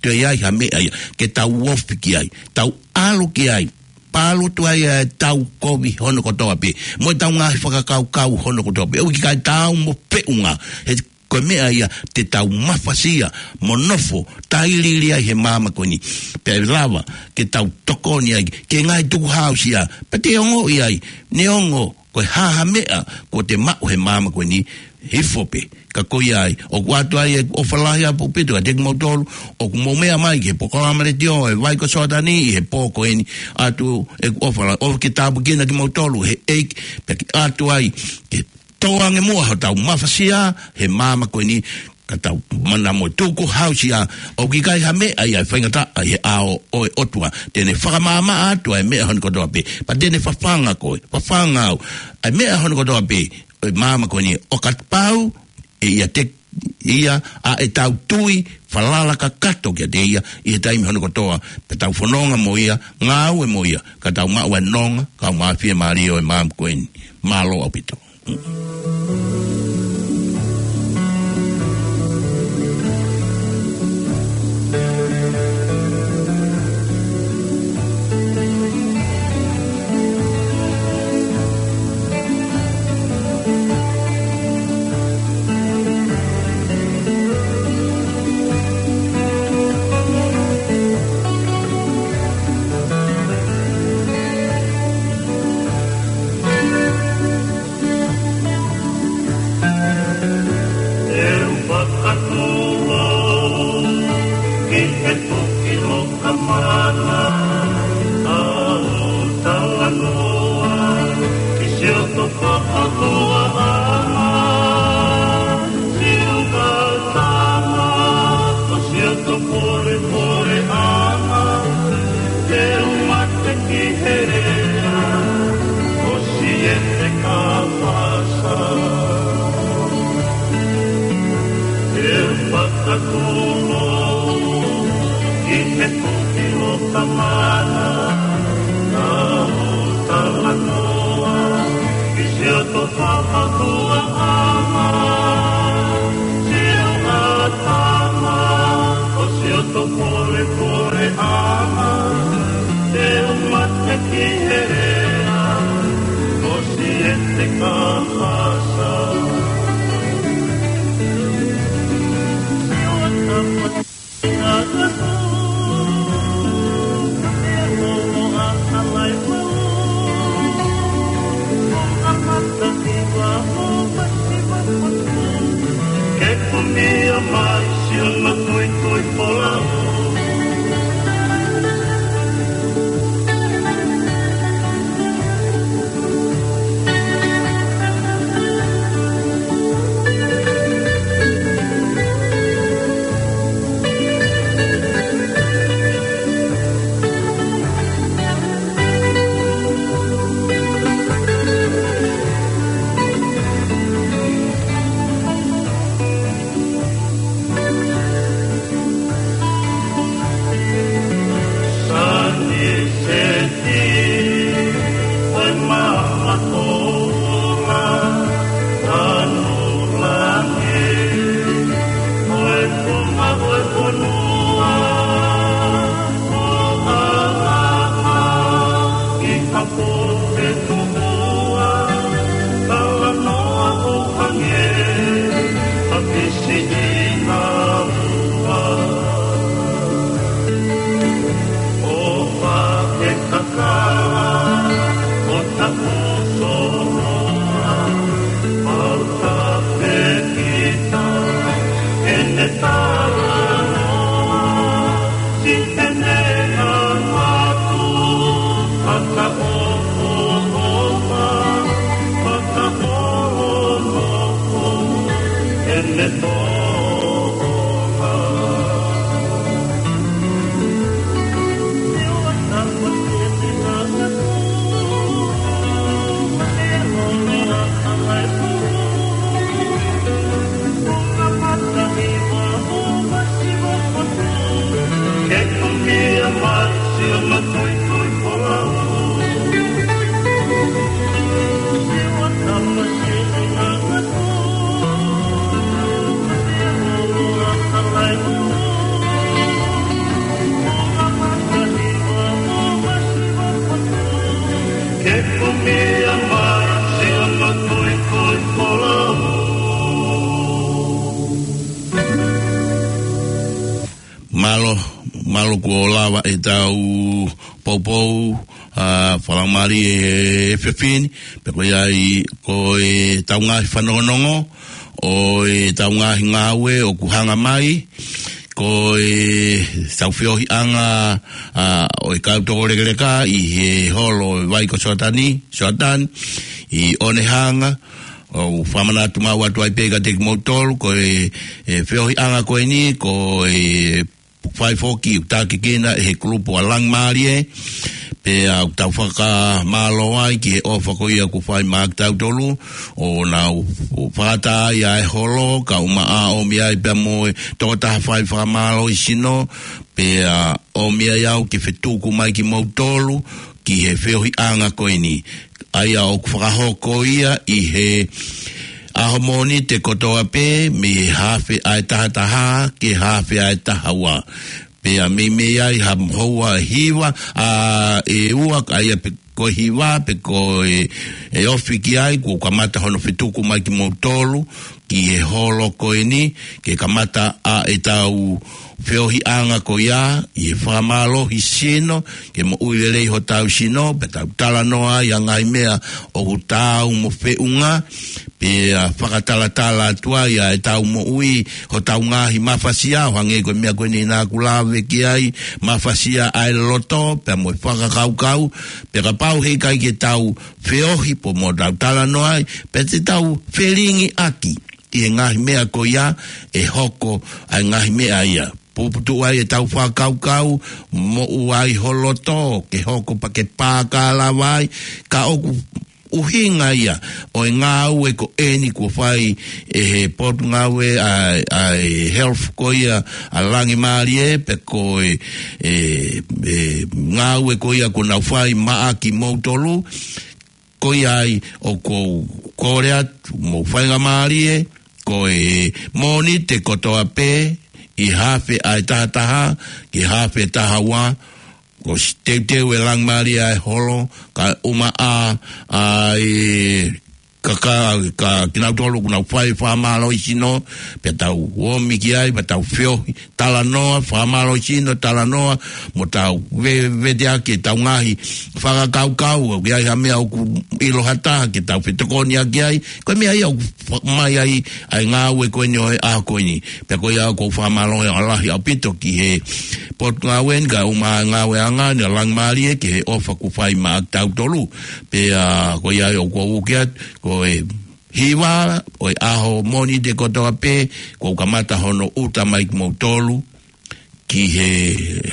toe ʻi ai ha meʻa ia, ke tau ofi ki ai, tau ʻalu ki ai, pālutu ai ʻa e tau kovi hono kotoa pē, mo e tau ngaahi fakakaukau hono kotoa pē. ʻOku ʻikai tau mo peʻunga, he ko e meʻa ia te tau mafasia mo nofo tailiili ai he māmani ko eni. Pea ʻe lava ke tau tokoni ai ke ngaahi tukuhāusia, pea te ongoʻi ai, neongo ko e hā ha meʻa kuo te maʻu he māmani ko eni, hifo pē. Ka ko ia ai, ʻoku ʻoatu ai ʻeku ʻofa lahi ʻaupito kiate kimoutolu ʻoku mou meʻa mai ki he polokalama letiō ʻo e Vai ko Soatani ʻi he pō ko eni, ʻoatu ʻeku ʻofa lahi, ʻofa ke tāpuekina kimoutolu he ʻEiki, pea ke ʻoatu ai ke tō ange muʻa hotau mafasia he māmani ko eni, Ka tau mana mo tuku hausia ʻoku ʻikai ha meʻa ia ʻe faingataʻa ʻi he ʻao ʻo e ʻOtua. Te ne fakamaʻamaʻa atu ʻa e meʻa hono kotoa pē. Pea te ne fafanga koe, fafanga au. ʻA e meʻa hono kotoa pē ʻo e māmani ko eni ʻo kapau ʻe ʻiate ia ʻa ʻetau tui falala kakato kiate ia ʻi he taimi hono kotoa. Pea tau fononga mo ia, ngāue mo ia, ka tau maʻu ʻa e nonga, kae ʻumaʻā ʻa e fiemālie ʻo e māmani ko eni. Mālō ʻaupito. ʻE u fakatūʻosi ki he toki loka mana, ʻa hoʻo talanoa ki siʻoto fakaʻofoʻofaʻanga, siʻoto tama, ko siʻoto polepole ʻanga, te u mate ki he lea, ʻo siʻete ka fasa. ʻE u fakatūʻosi ki he toki loka mana, ʻa hoʻo talanoa ki siʻoto fakaʻofoʻofaʻanga, siʻoto tama, ko siʻoto polepole ʻanga, te u mate ki he lea, ʻo siʻete ka fasa. Ke kumia mai siʻono tuitui folau. Mālō, mālō kuo lava ʻetau poupou, ʻa, fakamālō ʻe he efiafi ni, pea ko ia ai ko ʻetau ngaahi fanongonongo, ʻo ʻetau ngaahi ngāue ʻoku hanga mai, ko ʻetau feohiʻanga, ʻa, ʻo e kau toko lekeleka ʻi he holo ʻo e vai ko Soatani, Soatani, ʻi ʻOnehanga, ʻOku fakamanatu maʻu atu ai pē kiate kimoutolu, ko e, e feohiʻanga ko eni, ko e fai foki ʻoku takikina ʻe he kulupu ʻa Langimālie, pea ʻoku tau fakamālō ai ki he ʻofa ko ia kuo fai maʻa kitautolu, ʻo nau fakataha ai ʻa e holo, kae ʻumaʻā ʻomi ai pea mo e tokotaha fai fakamālohisino, pea ʻomi ai au ke fetuku mai kimoutolu, ki he feohiʻanga ko eni. ʻA ia ʻoku fakahoko ia ʻi he ʻaho Mōnite kotoa pē, mei he haafe ʻa e taha taha, ki he haafe ʻa e taha ua. Pea meimei ai ha houa ʻe hiva, ʻa e ua, ʻa ia pe ko e hiva, pe ko e, e ofi ki ai, kuo kamata hono fetuku mai kimoutolu, ki he holo ko eni, ke kamata ʻa e tau feohiʻanga ko ia, ʻi he fakamālohisino, ke moʻui lelei hotau sino, pea tau talanoa ai ʻa e ngaahi meʻa ʻoku taau mo feʻunga, pea fakatalatala atu ai ʻa e tau moʻui, hotau ngaahi mafasia, ʻo hangē ko e meʻa ko eni naʻa ku lave ki ai, mafasia ʻa e loto, pea mo e fakakaukau, pea kapau heʻikai ke tau feohi pea mo tau talanoa ai, pea te tau felingiʻaki ʻi he ngaahi meʻa ko ia ʻe hoko ai ngaahi meʻa ia. Puputuʻu ai ʻetau fakakaukau, moʻua ai ho loto, ke hoko pea ke pāka lava ai, ka ʻoku ʻuhinga ia ʻo e ngāue ko eni kuo fai ʻe he potungāue ʻa, ʻa e health ko ia ʻa Langimālie, pe ko e, e, e ngāue ko ia kuo nau fai maʻa kimoutolu, ko ia ai ʻoku ou kole atu, mou faingamālie, ko e Mōnite kotoa pē, ʻi he haafe ʻa e taha taha, ki he haafe taha ua, kuo ʻosi teuteu ʻe Langimālie ʻa e holo, kae ʻumaʻā ʻa e ka, ka, ka kinautolu ʻoku nau fai fakamālohisino, pea tau ō mai ki ai, pea tau feohi, talanoa, fakamālohisino, talanoa, mo tau ve-, veteʻaki ʻetau ngaahi fakakaukau, ʻoku ʻi ai ha meʻa ʻoku ʻilo ha taha, ke tau fetokoniʻaki ai, ko e meʻa ia ʻoku fa-, mai ai, ʻa e ngāue ko eni ʻo e ʻaho ko eni. Pea ko ia ʻoku ou fakamālō lahi ʻaupito ki he potungāue ni, kae ʻumaʻā e ngāueʻanga ni ʻa Langimālie, ki he ʻofa kuo fai maʻa kitautolu. Pea ko ia ʻoku ou uke atu, ko e hiva ʻo e ʻaho Mōnite kotoa pē, kuo kamata hono ʻuta mai kimoutolu ki he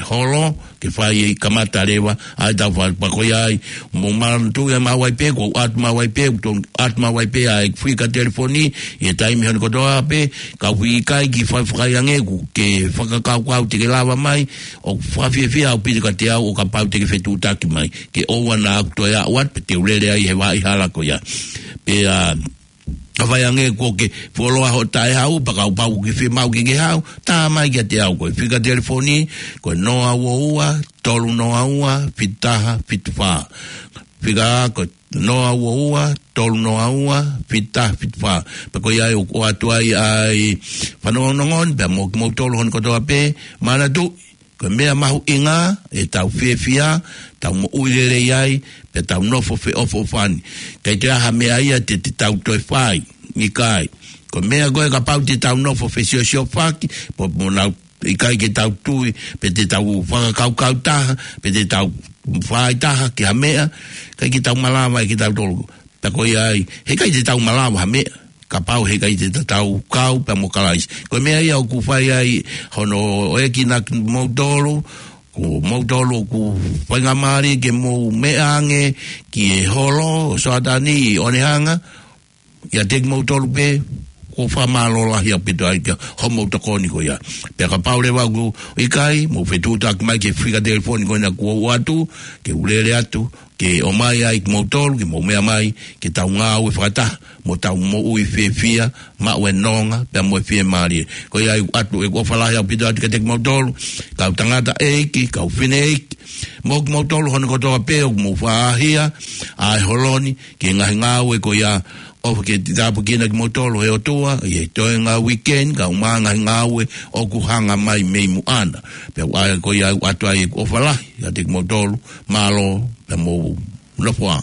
holo, ke fai e kamata leva ʻa e tau fai, pea ko ia ai, mou manatuʻi ʻe maʻu ai pē, kuo ʻatu maʻu ai pē, kuo ʻatu maʻu ai pē ʻa e fika telefoni, ʻi he taimi hono kotoa pē, ka ʻoku ʻikai ke fai fakaʻiange, ʻoku ke fakakaukau te ke lava mai, ʻoku fakafiefia ʻaupito kiate au ʻo kapau te ke fetuʻutaki mai, ke ʻoua naʻa ku toe aʻu atu, pea te u lele ai he vaʻa hala ko ia. Pea, ka fai ange kuo ke fuoloa hoʻo taʻehau, pea kapau ʻoku ke fiemaʻu ke ke hau, tā mai kiate au, ko e fika telefoni, ko e noa ua ua, tolu noa ua, fitu taha fitu fā. Fika ko e noa ua ua, tolu noa ua, fitu taha fitu fā. Pea ko ia ai ʻoku ʻoatu ai ʻa e fanongonongo ni, pea mo kimoutolu hono kotoa pē, manatuʻi, ko e meʻa mahuʻinga, ʻetau fiefia, tau moʻui lelei ai, pea tau nofo feʻofoʻofani. ʻIkai toe ʻi ai ha meʻa ia te, te tau toe fai, ʻikai. Ko e meʻa ko ē kapau te tau nofo fesiosiofaki, pea mo nau ʻikai ke tau tui, pe te tau fakakaukau taha, pe te tau fai taha ki ha meʻa, ʻikai ke tau malava ʻe kitautolu. Pea ko ia ai, heʻikai te tau malava ha meʻa, kapau heʻikai te ta-, tau kau pea mo Kalaisi. Ko e meʻa ia ʻoku fai ai hono ʻoange kimoutolu, ko moutolu ʻoku faingamālie ke mou meʻa ange ki he holo ʻo Soatani ʻi ʻOnehanga, ʻiate kimoutolu pē, ʻoku ou fakamālō lahi ʻaupito ai ki hoʻomou tokoni ko ia. Pea kapau leva ʻoku ʻikai, mou fetuʻutaki mai ki he fika telefoni ko ena kuo u ʻoatu, ke u lele atu, ke ʻomai ai kimoutolu, ke mou meʻa mai, ke tau ngāue fakataha, mo tau moʻui fiefia, maʻu e nonga, pea mo e fiemālie. Ko ia ai ʻoku ʻoatu ʻeku ʻofa lahi ʻaupito atu kiate kimoutolu, kau tangataʻeiki, kau fineʻeiki, mo kimoutolu hono kotoa pē ʻoku mou faʻahia ʻa e holo ni, ki he ngaahi ngāue ko ia, ʻofa ke tāpuekina kimoutolu ʻe he ʻOtua, ʻi he toenga uike ni, kae ʻumaʻā e ngaahi ngāue ʻoku hanga mai mei muʻa na. Pea ʻoku ʻai ko ia ʻoku ʻoatu ai ʻeku ʻofa lahi, kiate kimoutolu, mālō, pea mou nofo ā.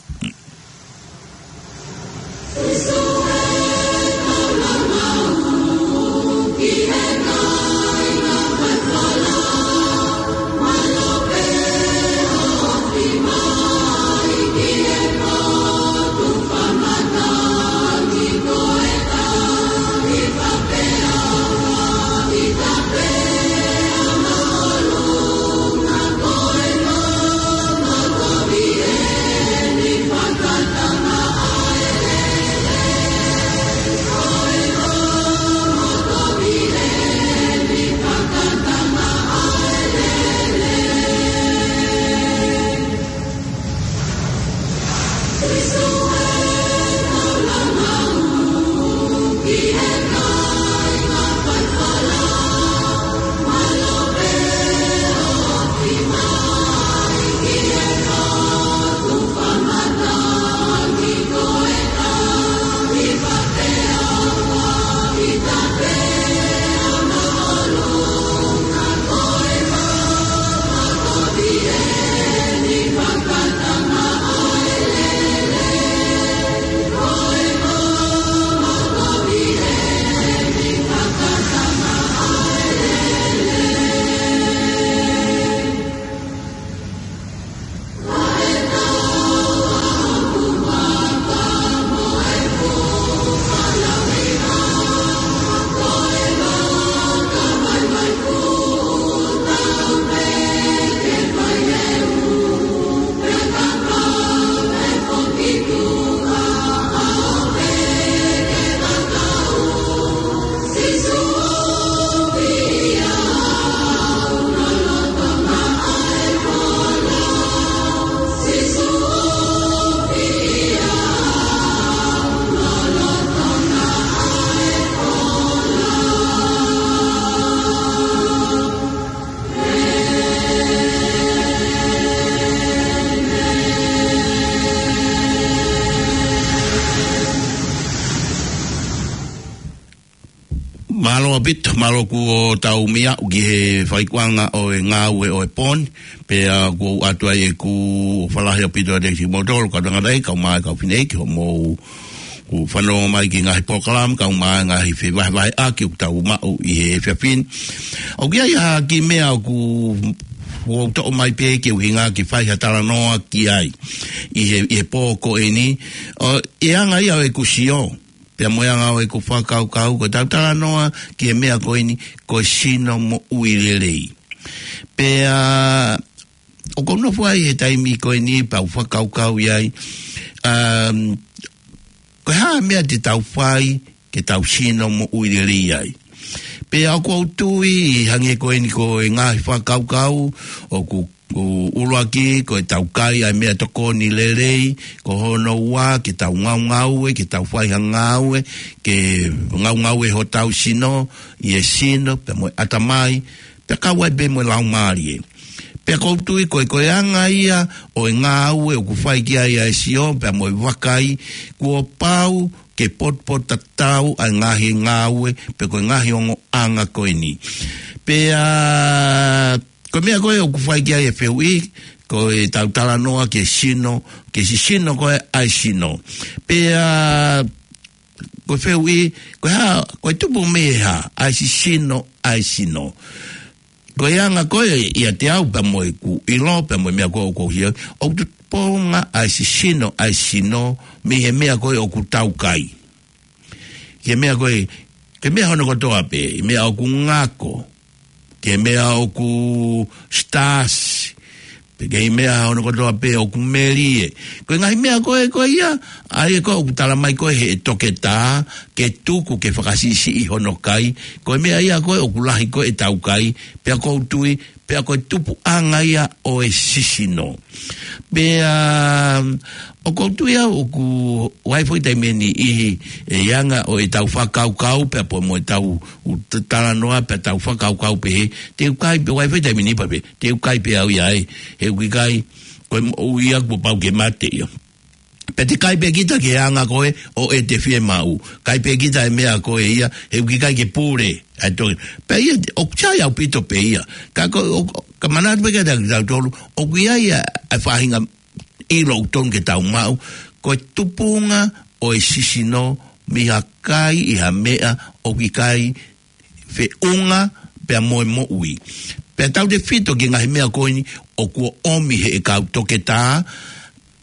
Mālō ʻaupito, mālō kuo tau meʻa ʻaki he fakaʻikuʻanga ʻo e ngāue ʻo e pō ni, pea ʻoku ou ʻoatu ai ʻeku ʻofa lahi ʻaupito atu kiate kimoutolu, kau tangata, kau mā, kau fineʻeiki, hoʻomou fanongo mai ki he ngaahi polokalama, kae ʻumaʻā e ngaahi fevahevaheʻaki ʻoku tau maʻu ʻi he efiafi ni. ʻOku ʻi ai ha kiʻi meʻa ʻoku ou toʻo mai pē ke u hinga ke fai ha talanoa ki ai ʻi he, ʻi he pō ko eni. ʻO, ʻi he anga ia ʻo ʻeku sio, pea mo e anga ʻo ʻeku fakakaukau, ko ʻetau talanoa ki he meʻa ko eni, ko e sino moʻui lelei. Pea ʻoku ou nofo ai he taimi ko eni pea u fakakaukau ai, um, ko e hā e meʻa te tau fai ke tau sino moʻui lelei ai. Pea ʻoku ou tui, hangē ko eni ko e ngaahi fakakaukau ʻoku, ʻoku ʻuluaki, ko ʻetau kai ʻa e meʻatokoni lelei, ko hono ua, ke tau ngaungaue, ke tau fai ha ngāue, ke ngaungaue hotau sino, ʻi he sino, pea mo e ʻatamai, pea kau ai pē mo e laumālie. Pea ʻoku ou tui ko e, ko e anga ia ʻo e ngāue ʻoku fai ki ai ʻa e sio, pea mo e vakai, kuo pau ke potupotutatau ʻa e ngaahi ngāue, pe ko e ngaahi ongoʻanga ko eni. Pea ko e meʻa ko ē ʻoku fai ki ai e fehuʻi, ko ʻetau talanoa ki he sino, ki he sisino ko ē ʻa e sino. Pea ko e fehuʻi, ko e hā, ko e tupu mei he hā ʻa e sisino ʻa e sino. Ko e anga ko ē ʻiate au pea mo ʻeku ʻilo, pea mo e meʻa ko ē ʻoku ou hia, ʻoku tupunga ʻa e sisino ʻa e sino mei he meʻa ko ē ʻoku tau kai. Ki he meʻa ko ē, ki he meʻa hono kotoa pē, meʻa ʻoku ngako, ki he meʻa ʻoku stasi, pe ki he meʻa hono kotoa pē ʻoku melie. Ko e ngaahi meʻa ko ē ko ia, ʻa ia ko ē ʻoku tala mai ko ē he toketā, ke tuku ke fakasiʻisiʻi hono kai, ko e meʻa ia ko ē ʻoku lahi ko ē ʻetau kai, pea ʻoku ou tui, pea ko e tupuʻanga ia ʻo e sisino. Pea, ʻoku ou tui au ʻoku ʻi ai foʻi taimi ʻe niʻihi, ʻi he anga ʻo ʻetau fakakaukau, pea pea mo ʻetau u t-, talanoa, pea tau fakakaukau pehē, te u kai pē, ʻi ai foʻi taimi ʻe niʻihi pea pehē, te u kai pē au ia ē, he ʻoku ʻikai, ko e moʻui ia kuo pau ke mate ia. Pea te kai pē kita ki he anga ko ē ʻo ʻete fiemaʻu. Kai pē kita e meʻa ko ē ia, he ʻoku ʻikai ke pule. ʻA e tō-, pea ia, ʻoku sai ʻaupito pē ia. Ka ko, ʻo, ka manatu pē kia kitautolu, ʻoku ʻi ai ʻa e faʻahinga ʻilo ʻoku totonu ke tau maʻu, ko e tupunga ʻo e sisino mei ha kai ʻi ha meʻa ʻoku ʻikai feʻunga pea mo e moʻui. Pea tautefito ki he ngaahi meʻa ko eni ʻoku ʻomi heʻe kau toketā,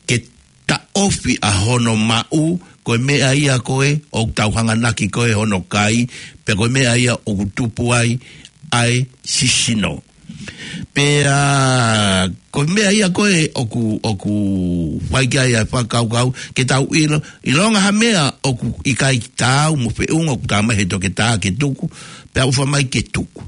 ke taʻofi ʻa hono maʻu, ko e meʻa ia ko ē ʻoku tau hanganaki ko ē hono kai, pea ko e meʻa ia ʻoku tupu ai ʻa e sisino. Pea ko e meʻa ia ko ē ʻoku, ʻoku fai ki ai ʻa e fakakaukau, ke tau ʻilo, ʻilonga ha meʻa ʻoku ʻikai taau mo feʻunga ʻoku tala mai he toketā ke tuku, pea ʻofa mai ke tuku.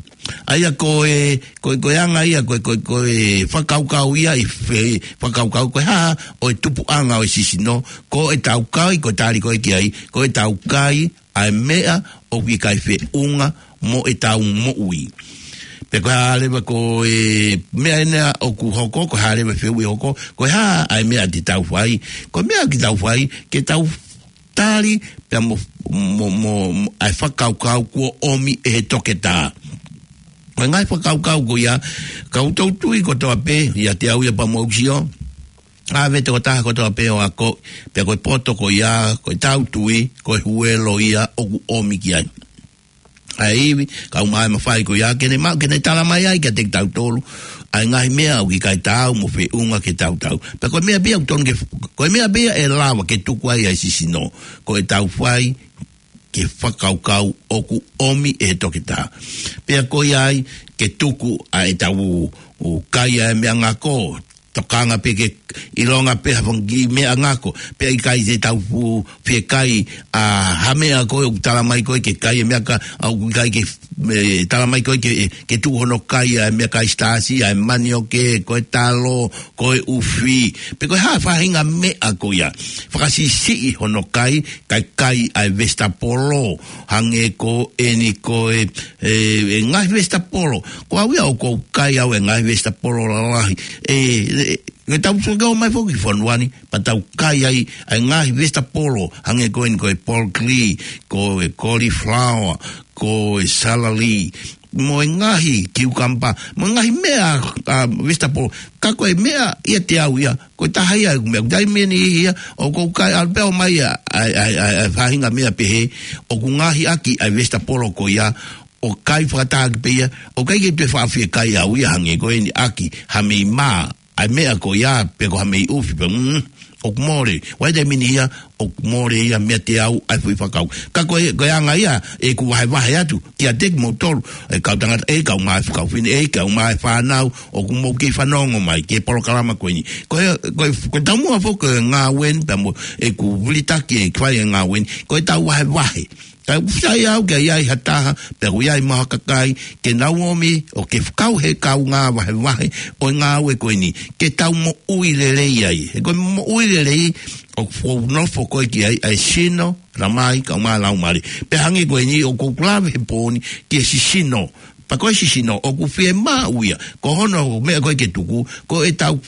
ʻA ia ko e, ko e, ko e anga ia, ko e, ko e, ko e fakakaukau ia ʻi he fakakaukau ko e hā ʻo e tupuʻanga ʻo e sisino, ko ʻetau kai, ko e tali ko ē ki ai, ko ʻetau kai ʻa e meʻa ʻoku ʻikai feʻunga mo ʻetau moʻui. Pea ko e hā leva ko e meʻa ena ʻoku hoko, ko e hā leva e fehuʻi hoko, ko e hā ʻa e meʻa te tau fai, ko e meʻa ke tau fai, ke tau tali, pea mo, mo, mo, mo, ʻa e fakakaukau kuo ʻomi ʻe he toketā. Ko e ngaahi fakakaukau ko ia, ka u tui kotoa pē, ʻiate au ia pea mo ʻeku sio, ʻave tokotaha kotoa pē ʻo ako, pea ko e poto ko ia, ko ʻetau tui, ko e huelo ia ʻoku ʻomi ki ai. ʻA e ivi, kae ʻumaʻā e mafai ko ia, ke ne ma-, ke ne tala mai ai kiate kitautolu ʻa e ngaahi meʻa ʻoku ʻikai taau mo feʻunga ke tau tau. Pea ko e meʻa pē ia ʻoku totonu ke, ko e meʻa pē ia ʻe lava ke tuku ai ʻa e sisino, ko ʻetau fai ke fakakaukau ʻoku ʻomi ʻe he toketā. Pea ko ia ai ke tuku ʻa ʻetau, ʻo kai ʻa e meʻangako, tokanga pē ke ʻilonga pē ha fanga kiʻi meʻangako, pea ʻikai te tau fu-, fie kai ʻa ha meʻa ko ē ʻoku tala mai ko ē ke kai e meʻa ka, ʻa ʻoku ʻikai ke, ʻe, tala mai ko ē ke, ke tuku hono kai ʻa e meʻakai stasi, ʻa e manioke, ko e talo, ko e ʻufi. Pe ko e hā faʻahinga meʻa ko ia. Fakasiʻisiʻi hono kai, kai kai ʻa e vesitapolo, hangē ko eni ko e, e, e ngaahi vesitapolo. Ko au ia ʻoku ou kai au e ngaahi vesitapolo lalahi. E, e, Nge tau sio ke ō mai foki fonua ni, pea tau kai ai, ʻa e ngaahi vesitapolo, hangē ko eni ko e broccoli, ko e cauliflower, ko e celery, mo e ngaahi cucumber, mo e ngaahi meʻa, ʻa, vesitapolo. Ka ko e meʻa ia te au ia, ko e taha ia ʻeku meʻa, taimi ʻe niʻihi ia, ʻoku ou kai ʻalu pē ʻo ʻomai ʻa, ʻa, ʻa, ʻa, ʻa e faʻahinga meʻa pehē, ʻoku ngaohi ʻaki ʻa e vesitapolo ko ia, ʻo kai fakataha ʻaki pē ia, ʻoku ʻikai ke toe faʻa fie kai au ia hangē ko eni ʻaki, ha mei mā, ʻa e meʻa ko ia, pe ko ha mei ʻufi, pea, mm, ʻoku mole. ʻA ia taimi ʻe niʻihi ia, ʻoku mole ia meiate au ʻa e foʻi fakakaukau. Ka ko e, ko e anga ia, ʻeku vahevahe atu, kiate kimoutolu, ʻe kau tangata, ʻe kau mai fakaofefine, ʻe kau mai fānau, ʻoku mou kei fanongo mai, ki he polokalama ko eni. Ko e, ko e, ko e taumuʻa foki ko e ngāue ni, pea mo ʻeku vilitaki ʻe fai e ngāue ni, ko e tau vahevahe. Ka ʻoku sai au ke ʻi ai ha taha, pea ʻoku ʻi ai mo ha kakai, ke nau ō mai, ʻo ke fakau he kaungā vahevahe, ʻo e ngāue ko eni, ke tau moʻui lelei ai. He ko e moʻui lelei, ʻoku ou nofo ko ē ki ai, ʻa e sino, tamai, kaungā laumālie. Pea hangē ko eni, ʻoku ou lave he pō ni, ki he sisino. Pea ko e sisino, ʻoku fiemaʻu ia, ko hono meʻa ko ē ke tuku, ko e tau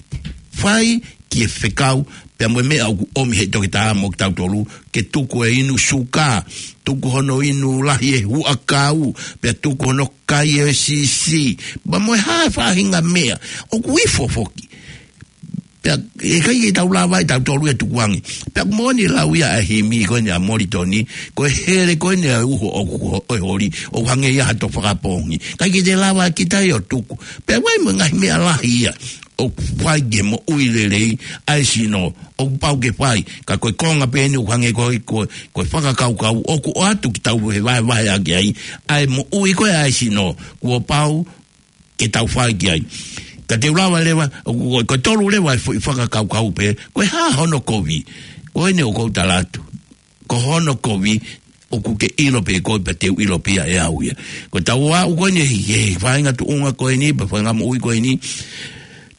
fai ki he fekau, pea mo e meʻa ʻoku ʻomi he toketā mo kitautolu, ke tuku e inu suka, tuku hono inu lahi e huʻakau, pea tuku hono kai e sisi, pea mo e hā e faʻahinga meʻa, ʻoku ifo foki. Pea, ʻe ʻikai ke tau lava ʻe tautolu ia tukuange. Pea ʻoku moʻoni e lau ia ʻa e himi ko eni ʻa Molitoni, ko e hele ko eni ʻa e uho ʻoku, ʻo e holi, ʻoku hangē ia ha toʻo fakapoongi. ʻIkai ke te lava kita ia ʻo tuku. Pea ʻoku ʻi ai mo e ngaahi meʻa lahi ia. ʻOku fai ke moʻui lelei, ʻa e sino, ʻoku pau ke fai. Ka ko e konga pē eni ʻoku hangē ko e, ko e, ko e fakakaukau, ʻoku ʻoatu ke tau vahevahe ʻaki ai. ʻA e moʻui ko ē ʻa e sino, kuo pau ke tau fai ki ai. Ka te u lava leva, ʻo, ko, ko e tolu leva e foʻi fakakaukau pē, ko e hā hono kovi, ko eni ʻoku ou tala atu. Ko hono kovi, ʻoku ke ʻilo pē koe pea te u ʻilo pē ia ʻe au ia. Ko e tau aʻu ko eni, he, he faʻahinga tuʻunga ko eni, pea faʻahinga moʻui ko eni,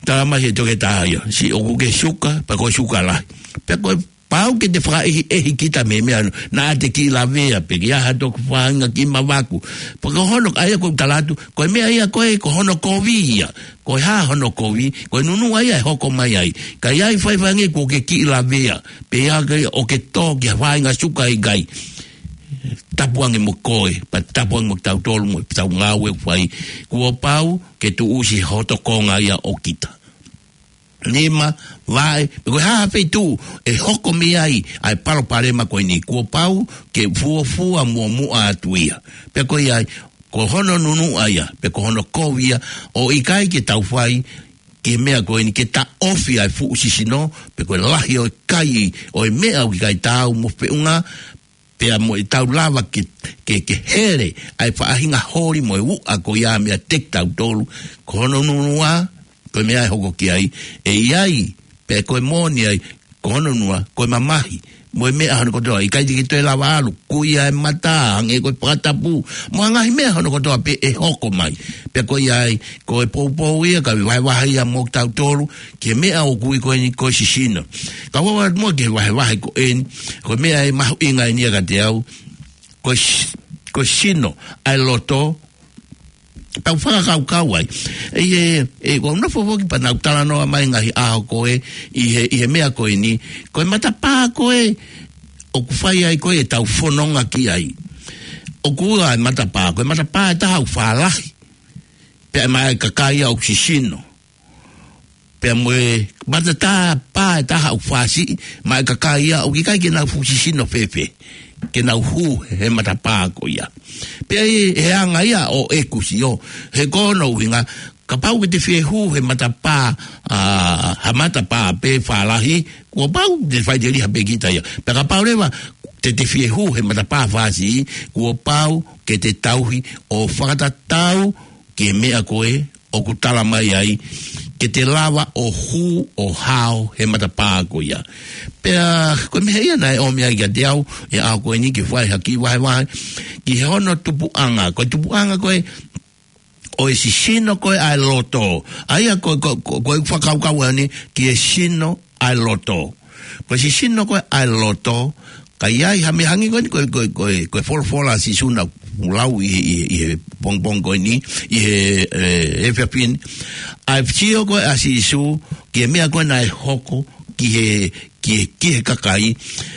tala mai he toketā ia, siʻi ʻoku ke suka, pea ko e suka lahi. Pea ko e pau ke te fakaʻehiʻehi kita mei he meʻa naʻa te kiʻi lavea, pe ke ʻi ai ha toki faʻahinga kiʻi mavaku. Pea ko hono, ʻa ia ʻoku ou tala atu, ko e meʻa ia ko ē, ko hono kovi ia. Ko e hā hono kovi, ko e nunuʻa ia ʻe hoko mai ai. Ka ʻi ai fai fai ange kuo ke kiʻi lavea, pe ʻi ai ke ʻo ke tō ki ha faʻahinga suka ʻikai. Tapu ange mo koe, pea tapu ange mo kitautolu mo e tau ngāue ʻoku fai. Kuo pau ke tuʻusi hoto konga ia ʻo kita. Nima, vaʻe, pe ko e hā ha feituʻu ʻe hoko mei ai ʻa e palopalema ko eni, kuo pau ke fuofua muʻomuʻa atu ia. Pea ko ia ai, ko hono nunuʻa ia, pe ko hono kovi ia, ʻo ʻikai ke tau fai, ki he meʻa ko eni ke taʻofi ʻa e fuʻu sisino, pe ko e lahi ʻo e kai, ʻo e meʻa ʻoku ʻikai taau mo feʻunga, pea mo e tau lava ke, ke, ke hele ʻa e faʻahinga holi mo e uʻa ko ia meiate kitautolu, ko hono nunuʻa, ko e meʻa ʻe hoko ki ai, ʻe ʻi ai, pea ko e moʻoni ai, ko hono nunuʻa, ko e mamahi, mo e meʻa hono kotoa, ʻikai te ke toe lava ʻalu, kui ʻa e mata, hangē ko e fakatapu, mo e ngaahi meʻa hono kotoa pē ʻe hoko mai, pea ko ia ai, ko e poupou ia, ka vahevahe ia mo kitautolu, ki he meʻa ʻoku ui ko eni ko e sisino. Ka ʻoku ou ʻalu atu muʻa ki he vahevahe ko eni, ko e meʻa ʻe mahuʻinga eni ia kiate au, ko e si-, ko e sino, ʻa e loto, tau fakakaukau ai. ʻE, ʻe, ʻe, ʻoku ou nofo foki pea nau talanoa mai ngaahi ʻaho ko ē, ʻi he, ʻi he meʻa ko eni, ko e matapā ko ē, ʻoku fai ai ko ē ʻetau fononga ki ai. ʻOku ua e matapā, ko e matapā ʻe taha ʻoku fālahi. Pea maʻa e kakai ia ʻoku sisino. Pea mo e matapā ʻe taha ʻoku fāsiʻi, maʻa e kakai ia ʻoku ʻikai ke nau fuʻu sisino fēfē. Ke nau hū he matapā ko ia. Pea ʻi he anga ia ʻo ʻeku sio, he ko hono ʻuhinga, kapau ke te fie hū he matapā, ʻa, ha matapā pē fālahi, kuo pau te faʻiteliha pē kita ia. Pea kapau leva, te te fie hū he matapā fāsiʻi, kuo pau ke te tauhi ʻo fakatatau ki he meʻa ko ē, ʻoku tala mai ai, ke te lava ʻo hū ʻo hao he matapā ko ia. Pea, ko e meʻa ia naʻe ʻomi ai kiate au, ʻi he ʻaho ko eni ke fai ha kiʻi vahevahe, ki he hono tupuʻanga, ko e tupuʻanga ko ē, ʻo e sisino ko ē ʻa e loto. ʻA ia ko, ko, ko, ko e fakakaukau eni, ki he sino ʻa e loto. Ko e sisino ko ē ʻa e loto, ka ʻi ai ha meʻa hangē ko eni, ko, ko, ko, ko e folofola ʻa Sīsū naʻa ʻoku lau ʻi he, ʻi he, ʻi he pongipongi ko eni, ʻi he, ē, efiafi ni. ʻA e sio ko ē ʻa Sīsū ki he meʻa ko ē naʻe hoko ki he, ki he, ki he kakai,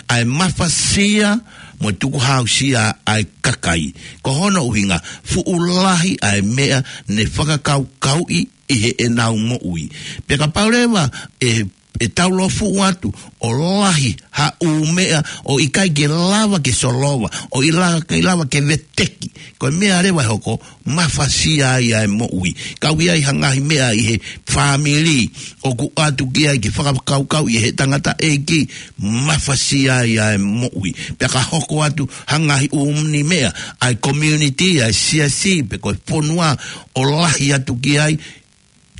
ʻa e mafasia mo e tukuhāusia ʻa e kakai. Ko hono ʻuhinga, fuʻu lahi ʻa e meʻa ne fakakaukauʻi ʻi heʻenau moʻui. Pea kapau leva ʻe, ʻe tau lōfuʻu atu ʻo lahi ha ʻū meʻa ʻo ʻikai ke lava ke solova, ʻo ʻikai lava ke veteki, ko e meʻa leva ʻe hoko, mafasia ai ʻa e moʻui. Ka ʻoku ʻi ai ha ngaahi meʻa ʻi he fāmili ʻoku ʻoatu ki ai ke fakakaukauʻi ʻe he tangataʻeiki, mafasia ai ʻa e moʻui. Pea ka hoko atu ha ngaahi ʻū meʻa, ʻa e community, ʻa e siasi, pe ko e fonua ʻo lahi atu ki ai,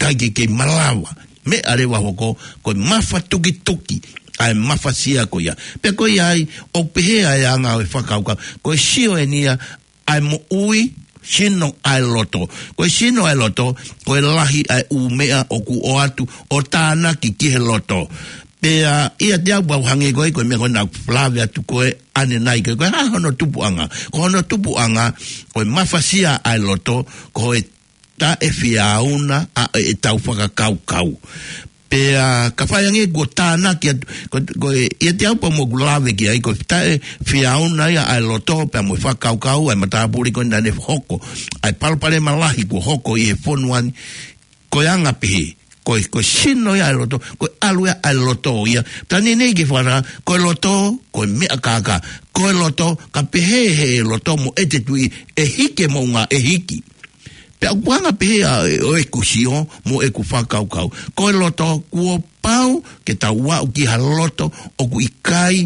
ʻikai ke kei malava. Meʻa leva hoko, ko e mafatukituki ʻa e mafasia ko ia. Pea ko ia ai, ʻoku pehē ʻa e anga ʻo e fakakaukau, ko e sino eni ia ʻa e moʻui, sino ʻa e loto. Ko e sino ʻa e loto, ko e lahi ʻa e ʻū meʻa ʻoku ʻoatu ʻo tānaki ki he loto. Pea ʻiate au pau hangē ko ē, ko e meʻa ko ē naʻa ku lave atu ko ē ʻanenai ko ē, ko e hā hono tupuʻanga. Ko hono tupuʻanga, ko e mafasia ʻa e loto, ko e taʻefiauna ʻa ʻetau fakakaukau. Pea ka fai ange kuo tānaki atu, ko, ko e, ʻiate au pau mo ʻeku lave ki ai, ko e taʻefiauna ia ʻa e loto, pea mo e fakakaukau, ʻa e matāpule ko ē naʻa ne hoko, ʻa e palopalema lahi kuo hoko ʻi he fonua ni, ko e anga pehē, ko e, ko e sino ia ʻa e loto, ko e ʻalu ia ʻa e loto ia. Tani nei ke fara, ko e loto, ko e meʻa kākā, ko e loto, ka pehē ʻe he loto mo ʻete tui, ʻe hiki e moʻunga, ʻe hiki. Pea ʻoku anga pehē ʻa e, ʻo ʻeku sio mo ʻeku fakakaukau. Ko e loto, kuo pau ke tau aʻu ki ha loto ʻoku ʻikai,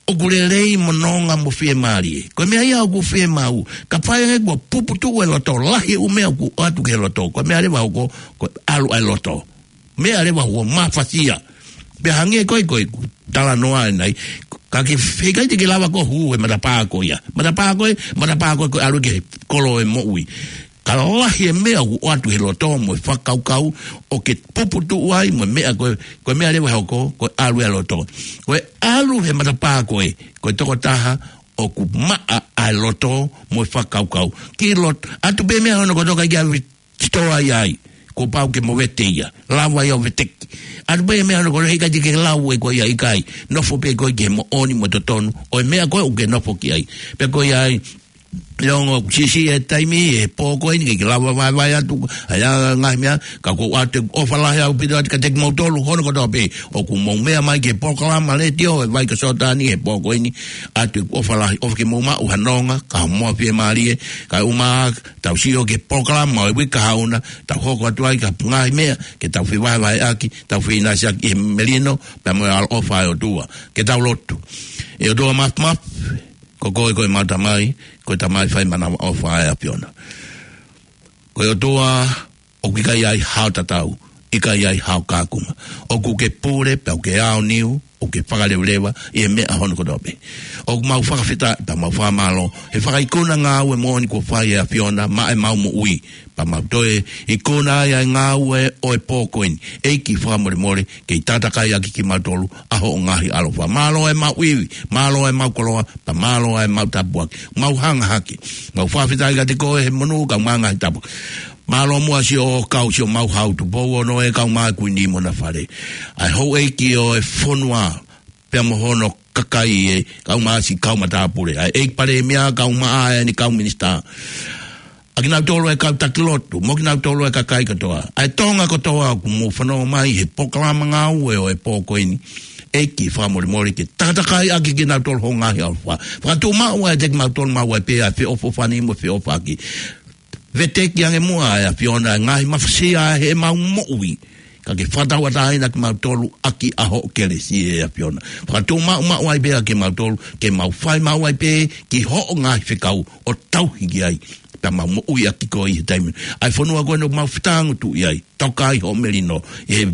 ʻoku lelei mo nonga mo fiemālie. Ko e meʻa ia ʻoku fiemaʻu. Ka fai ange kuo puputuʻu e loto, lahi e ʻū meʻa ʻoku ʻoatu ki he loto, ko e meʻa leva hoko, ko e ʻalu ʻa e loto. Meʻa leva hoko, mafasia. Pea hangē ko ē, ko ʻeku talanoa ʻanenai, ka ke feikai te ke lava ko ē ʻo hū he matapā ko ia. Matapā ko ē, matapā ko ē, ko e ʻalu ki he kolo ʻo e moʻui. Ka lahi e meʻa ʻoku ʻoatu he loto mo e fakakaukau ʻoku ke puputuʻu ai mo e meʻa ko ē, ko e meʻa leva hoko, ko e ʻalu ʻa e loto. Ko e ʻalu he matapā ko ē, ko e tokotaha ʻoku maʻa ʻa e loto mo e fakakaukau. Ki loto, ʻatu pē meʻa hono kotoa ʻikai ke ʻave ki sitoa ai, kuo pau ke mo vete ia, lava ia ʻo veteki. ʻAtu pē meʻa hono kotoa, heʻikai te ke lau ʻe koe ia, ʻikai. Nofo pē koe ki he moʻoni mo e totonu ʻo e meʻa ko ē ʻoku ke nofo ki ai. Pea ko ia ai, ʻe ongo siʻisiʻi e taimi he pō ko eni ke ke lava vaevae atu ʻa e ngaahi meʻa, ka ʻoku ou ʻoatu e ʻofa lahi ʻaupito atu kiate kimoutolu hono kotoa pē ʻoku mou meʻa mai ki he polokalama letiō ʻa e Vai ko Soatani he pō ko eni, ʻoatu e ʻofa lahi, ʻofa ke mou maʻu ha nonga, ka mo fiemālie, kae ʻumaʻā, tau sio ki he polokalama ʻo e uike kahaʻu na, tau hoko atu ai ki ha ngaahi meʻa ke tau fevahevaheʻaki, tau feʻinasiʻaki ʻi he melino pea mo e ʻaloʻofa ʻa e ʻOtua. Ke tau lotu. ʻE ʻOtua Māfimafi, ko koe ko ʻemau Tamai, ko e Tamai fai manavaʻofa ʻa e ʻAfiona. Ko e ʻOtua ʻoku ʻikai ai hao tatau, ʻikai ai hao kakunga. ʻOku ke pule, pea ʻoku ke aoniu, ʻoku ke fakaleveleva ʻi he meʻa hono kotoa pē. ʻOku mau fakafetaʻi, pea mau fakamālō he fakaikuna ngāue moʻoni kuo fai ʻe he ʻAfiona maʻa ʻemau moʻui. Pea mau toe ikuna ai ʻa e ngāue ʻo e pō ko eni. ʻEiki fakamolemole, kei takatakai ʻaki kimautolu ʻa hoʻo ngaahi ʻaloʻofa. Mālō ʻemau ivi, mālō ʻemau koloa, pea mālō ʻemau tāpuaki. Mau hanga hake. Mau fakafetaʻi kiate koe he monū kae ʻumaʻā e ngaahi tāpuaki. Mālō muʻa siʻo kau siʻomau hau Tupou Ono ē kae ʻumaʻā e Kuini mo ʻena fale. ʻA e houʻeiki ʻo e fonua pea mo hono kakai ē kae ʻumaʻā siʻi kau matāpule. ʻA e ʻEiki Palēmia kae ʻumaʻā ʻene kau minisitā. ʻA kinautolu e kau taki lotu, mo kinautolu e kakai kotoa. ʻA e Tonga kotoa ʻoku mou fanongo mai he polokalama ngāue ʻo e pō ko eni. ʻEiki fakamolemole ke takatakai ʻaki kinautolu hoʻo ngaahi ʻaloʻofa. Fakatuʻumaʻu ʻiate kimautolu maʻu ai pē ʻa e feʻofoʻofani mo e feʻofaʻaki. Veteki ange muʻa ʻe he ʻAfiona e ngaahi mafasia ʻa ʻemau moʻui. Ka ke fakatauʻatāina kimautolu ʻaki ʻa hoʻo kelesi ʻe ʻAfiona. Fakatuʻumaʻumaʻu ai pē ʻa kimautolu, ke mau fai maʻu ai pē ki hoʻo ngaahi fekau ʻo tauhi ki ai. Pea mau moʻui ʻaki koe ʻi he taimi. ʻA e fonua ko eni ʻoku mau fetāngutuʻi ai. Toka ai hoʻo melino. ʻE,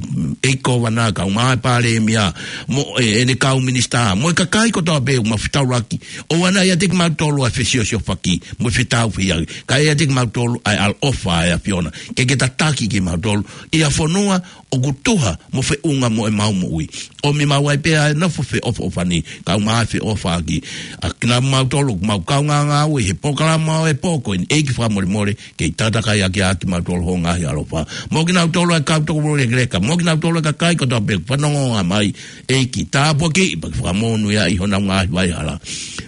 ʻEiki Kōvana, kaungā Palēmia. Mo, ʻe, ʻene kau minisitā. Mo e kakai kotoa pē ʻoku mau fetaulaki. ʻOua naʻa ʻiate kimautolu ʻa e fesiosiofaki. Mo e fetauhiʻaki. Kae ʻiate kimautolu ʻa e ʻaloʻofa ʻa e ʻAfiona. Ke ke tataki kimautolu. ʻI ha fonua ʻoku tuha mo feʻunga mo ʻemau moʻui. ʻOmi maʻu ai pē ʻa e nofo feʻofoʻofani, kaungā feʻofaʻaki. ʻA kinautolu ʻoku mau kaungā ngāue he polokalama ʻo e pō ko eni, ʻEiki fakamolemole, kei tataki ʻaki ʻa kimautolu ho ngaahi ʻaloʻofa. Mo kinautolu ʻa e kau tokolahi lekeleka, mo kinautolu ʻa e kakai kotoa pē fanongo mai, ʻEiki tāpuakiʻi, pea ke fakamonūʻia ʻi honau ngaahi vaihala.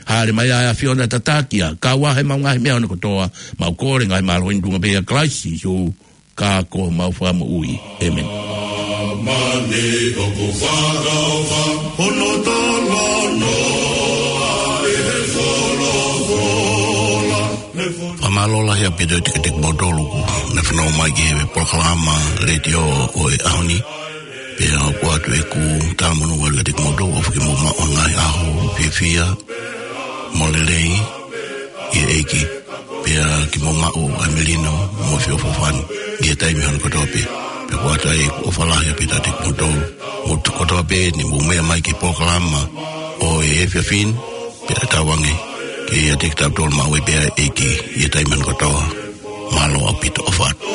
Hāʻele mai ʻa e ʻAfiona, tataki ʻa e kau ʻa e mau ngaahi meʻa ʻona kotoa, mau kole ngaahi mālohi ʻi he tuʻunga pē ʻia Kalaisi Sīsū, ka ko homau Fakamoʻui. ʻĒmeni. Mani ʻoku fakaʻofa, hono talanoa ʻi he folofola. Fakamālō lahi ʻaupito ʻiate kimoutolu kuo ne fanongo mai ki he polokalama letiō ʻo e ʻaho ni. Pea ʻoku ʻoatu ʻeku talamonū ʻaupito kiate kimoutolu, ʻofa ke mou maʻu ʻa e ngaahi ʻaho fiefia mo lelei ʻi he ʻEiki. Pea ke mou maʻu ʻa e melino mo e feʻofoʻofani ʻi he taimi hono kotoa pē. Pea ʻoku ʻoatu ai ʻeku ʻofa lahi ʻaupito kiate kimoutolu. Mou kotoa pē ne mou meʻa mai ki he polokalama ʻo e efiafi ni, pea tauange ke ʻiate kitautolu maʻu ai pē ʻa e ʻEiki ʻi he taimi hono kotoa. Mālō ʻaupito, ʻofa atu.